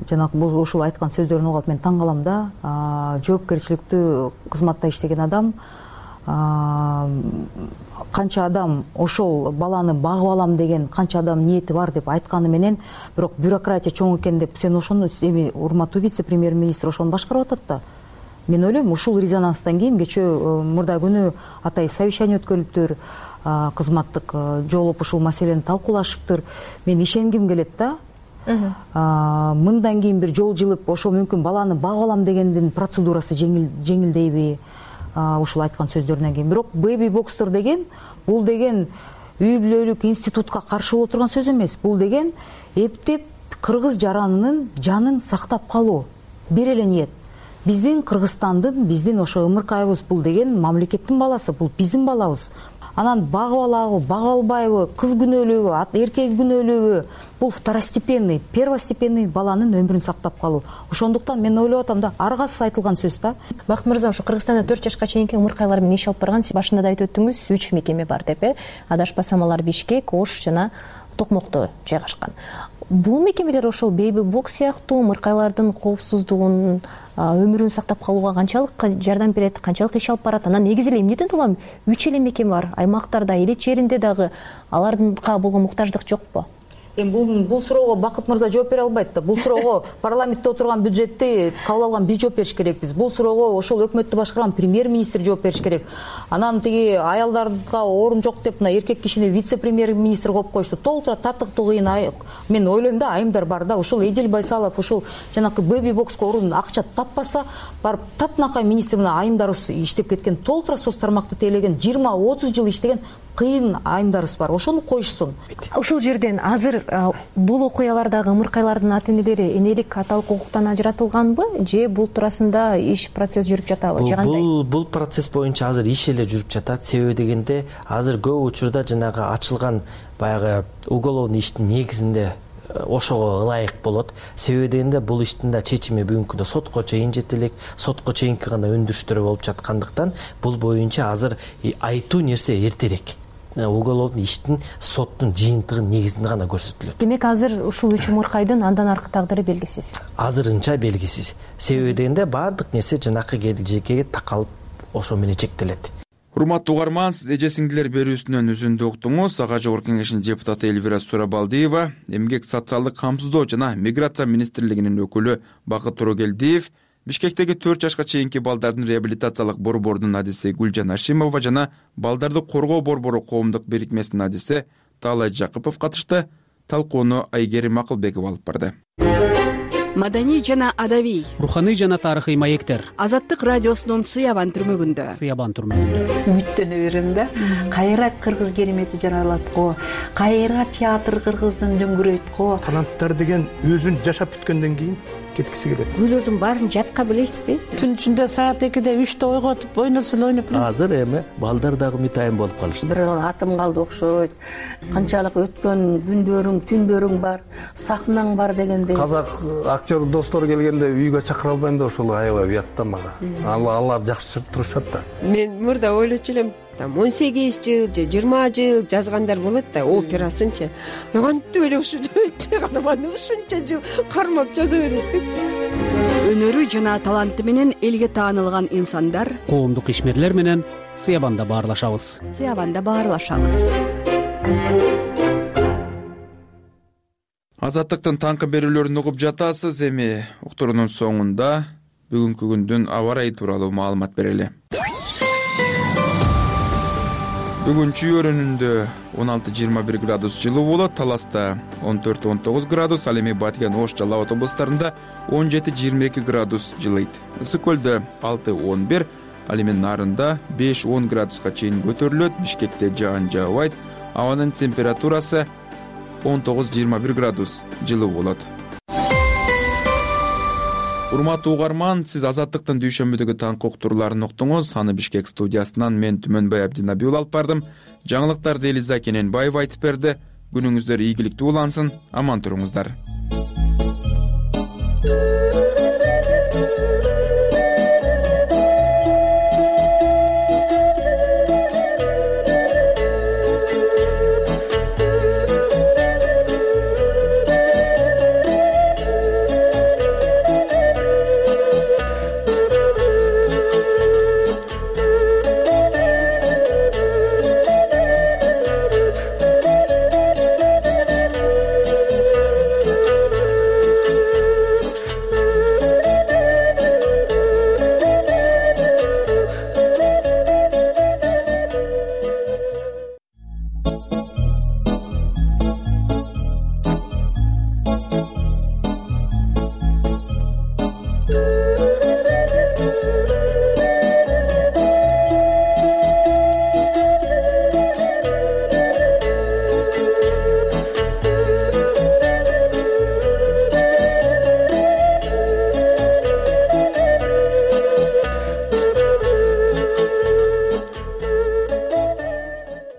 жанагы ушул айткан сөздөрүн угуп мен таң калам да. Жоопкерчиликтүү кызматта иштеген адам, канча адам ошол баланы багып алам деген канча адам ниети бар деп айтканы менен, бирок бюрократия чоң экен деп сен ошону эми урматтуу вице-премьер-министр ошону башкарып атат да. Мен ойлойм, ушул резонанстан кийин кечээ мурда күнү атай совещание өткөрүлүптүр, кызматтык жолуп ушул маселени талкуулашыптыр. Мен ишенгим келет да. Мындан кийин бир жол жылып, ошол мүмкүн баланы багып алам дегендин процедурасы жеңилдейби ушул айткан сөздөрүнөн кийин. Бирок беби бокстор деген, бул деген үй бүлөлүк институтка каршы боло турган сөз эмес. Бул деген эптеп кыргыз жаранынын жанын сактап калуу. Бир эле ниет. Биздин Кыргызстандын, биздин ошо ымыркайыбыз, бул деген мамлекеттин баласы, бул биздин балабыз. Анан багып алабы, багып албайбы, кыз күнөөлүүбү, эркек күнөөлүүбү, бул второстепенный, первостепенный баланын өмүрүн сактап калуу. Ошондуктан мен ойлоп атам да, аргасыз айтылган сөз да. Бакыт мырза, ошо Кыргызстанда 4 жашка чейинки ымыркайлар менен иш алып барган, сиз башында да айтып өттүңүз, 3 мекеме бар деп, адашпасам алар Бишкек, Ош жана Токмокто жайгашкан. Бул мекемелер ошол беби бокс сыяктуу ымыркайлардын коопсуздугун, өмүрүн сактап калууга канчалык жардам берет, канчалык иш алып барат? Анан негизи эле эмнеден улам 3 эле мекеме бар, аймактарда, эле жеринде дагы алардынка болгон муктаждык жокпу? Эми бул суроого Бакыт мырза жооп бере албайт да. Бул суроого парламентте отурган бюджетти кабыл алган биз жооп бериш керекпиз. Бул суроого ошол өкмөттү башкарган премьер-министр жооп бериш керек. Анан тиги аялдарга орун жок деп мына эркек кишини вице-премьер-министр коюп коюшту. Толтура татыктуу кыйын. Мен ойлойм да, айымдар бар да. Ушул Эдил Байсалов ушул жанакы беби бокска орун акча таппаса, барып татынакай министр менен айымдарыбыз иштеп кеткен, толтура соц тармакты тейлеген, 20-30 жыл иштеген кыйын айымдарыбыз бар. Ошону коюшсун. Ушул жерден азыр бул окуялардагы ымыркайлардын ата энелери энелик аталык укуктан ажыратылганбы, же бул туурасында иш процесс жүрүп жатабы, же кандай? Бул процесс боюнча азыр иш эле жүрүп жатат. Себеби дегенде азыр көп учурда жанагы ачылган баягы уголовный иштин негизинде ошого ылайык болот. Себеби дегенде бул иштин да чечими бүгүнкү күндө сотко чейин жетелек, сотко чейинки гана өндүрүштөр болуп жаткандыктан бул боюнча азыр айтуу нерсе эртерээк. Уголовный иштин соттун жыйынтыгын негизинде гана көрсөтүлөт. Демек азыр ушул 3 ымыркайдын андан аркы тагдыры белгисиз. Азырынча белгисиз. Себеби дегенде баардык нерсе жанакы келечекке такалып ошо менен чектелет. Урматтуу угарман, сиз эже сиңдилер берүүсүнөн үзүндү уктуңуз. Ага Жогорку Кеңештин депутаты Элвира Сурабалдиева, Эмгек социалдык камсыздоо жана миграция министрлигинин өкүлү Бакыт Турогелдиев, Бишкектеги 4 жашка чейинки балдардын реабилитациялык борборунун адиси Гүлжан Ашимова жана балдарды коргоо борбору коомдук бирикмесинин адиси Таалай Жакыпов катышты. Талкууну Айгерим Акылбеков алып барды. Маданий жана адабий, руханий жана тарыхый маектер. Азаттык радиосунун Сыябан түрмөгүндө. Үмүттөнө берем да. Кайра кыргыз керемети жаралат го. Кайра театр кыргыздын дөңгүрөйт го. Таланттар деген өзүн жашап бүткөндөн кийин кеткиси келет. Күйлөрдүн баарын жатка билесизби? Түн ичинде саат 2-де 3-те ойготуп ойносо ойноп. Азыр эми балдар дагы мытайын болуп калышты. Бир атым калды окшойт. Канчалык өткөн күндөрүң, түндөрүң бар, сахнаң бар дегендей. Казак актер достор келгенде үйгө чакыра албайм да, ошол аябай уят да мага. Алар жакшы турушат да. Мен мурда ойлочу элем, 18 жыл же 20 жыл жазгандар болот да, операсынчы. Кантип эле ушунча каарманды ушунча жыл кармап жаза берет деп. Өнөрү жана таланты менен элге таанылган инсандар Коомдук ишмерлер менен Сыябанда баарлашабыз. Азаттыктын таңкы берүүлөрүн угуп жатасыз. Эми уктуруунун соңунда бүгүнкү күндүн аба ырайы тууралуу маалымат берели. Бүгүн Чүй-өрүнүндө 16-21 градус жылуу болот, Таласта 14-19 градус, ал эми Баткен, Ош, Жалал Абад облустарында 17-22 градус жылыйт. Ысык көлдө 6-11, ал эми нарында 5-10 градуска чейин көтөрүлөт. Бишкекте жаан жаабайт, абанын температурасы 19-21 градус жылуу болот. Урматтуу угарман, сиз Азаттыктын дүйшөмбүдөгү таңкы уктурууларын уктуңуз. Аны Бишкек студиясынан мен Түмөнбай Абдинаби уулу алып бардым. Жаңылыктарды Элиза Кененбаева айтып берди. Күнүңүздөр ийгиликтүү улансын, аман туруңуздар.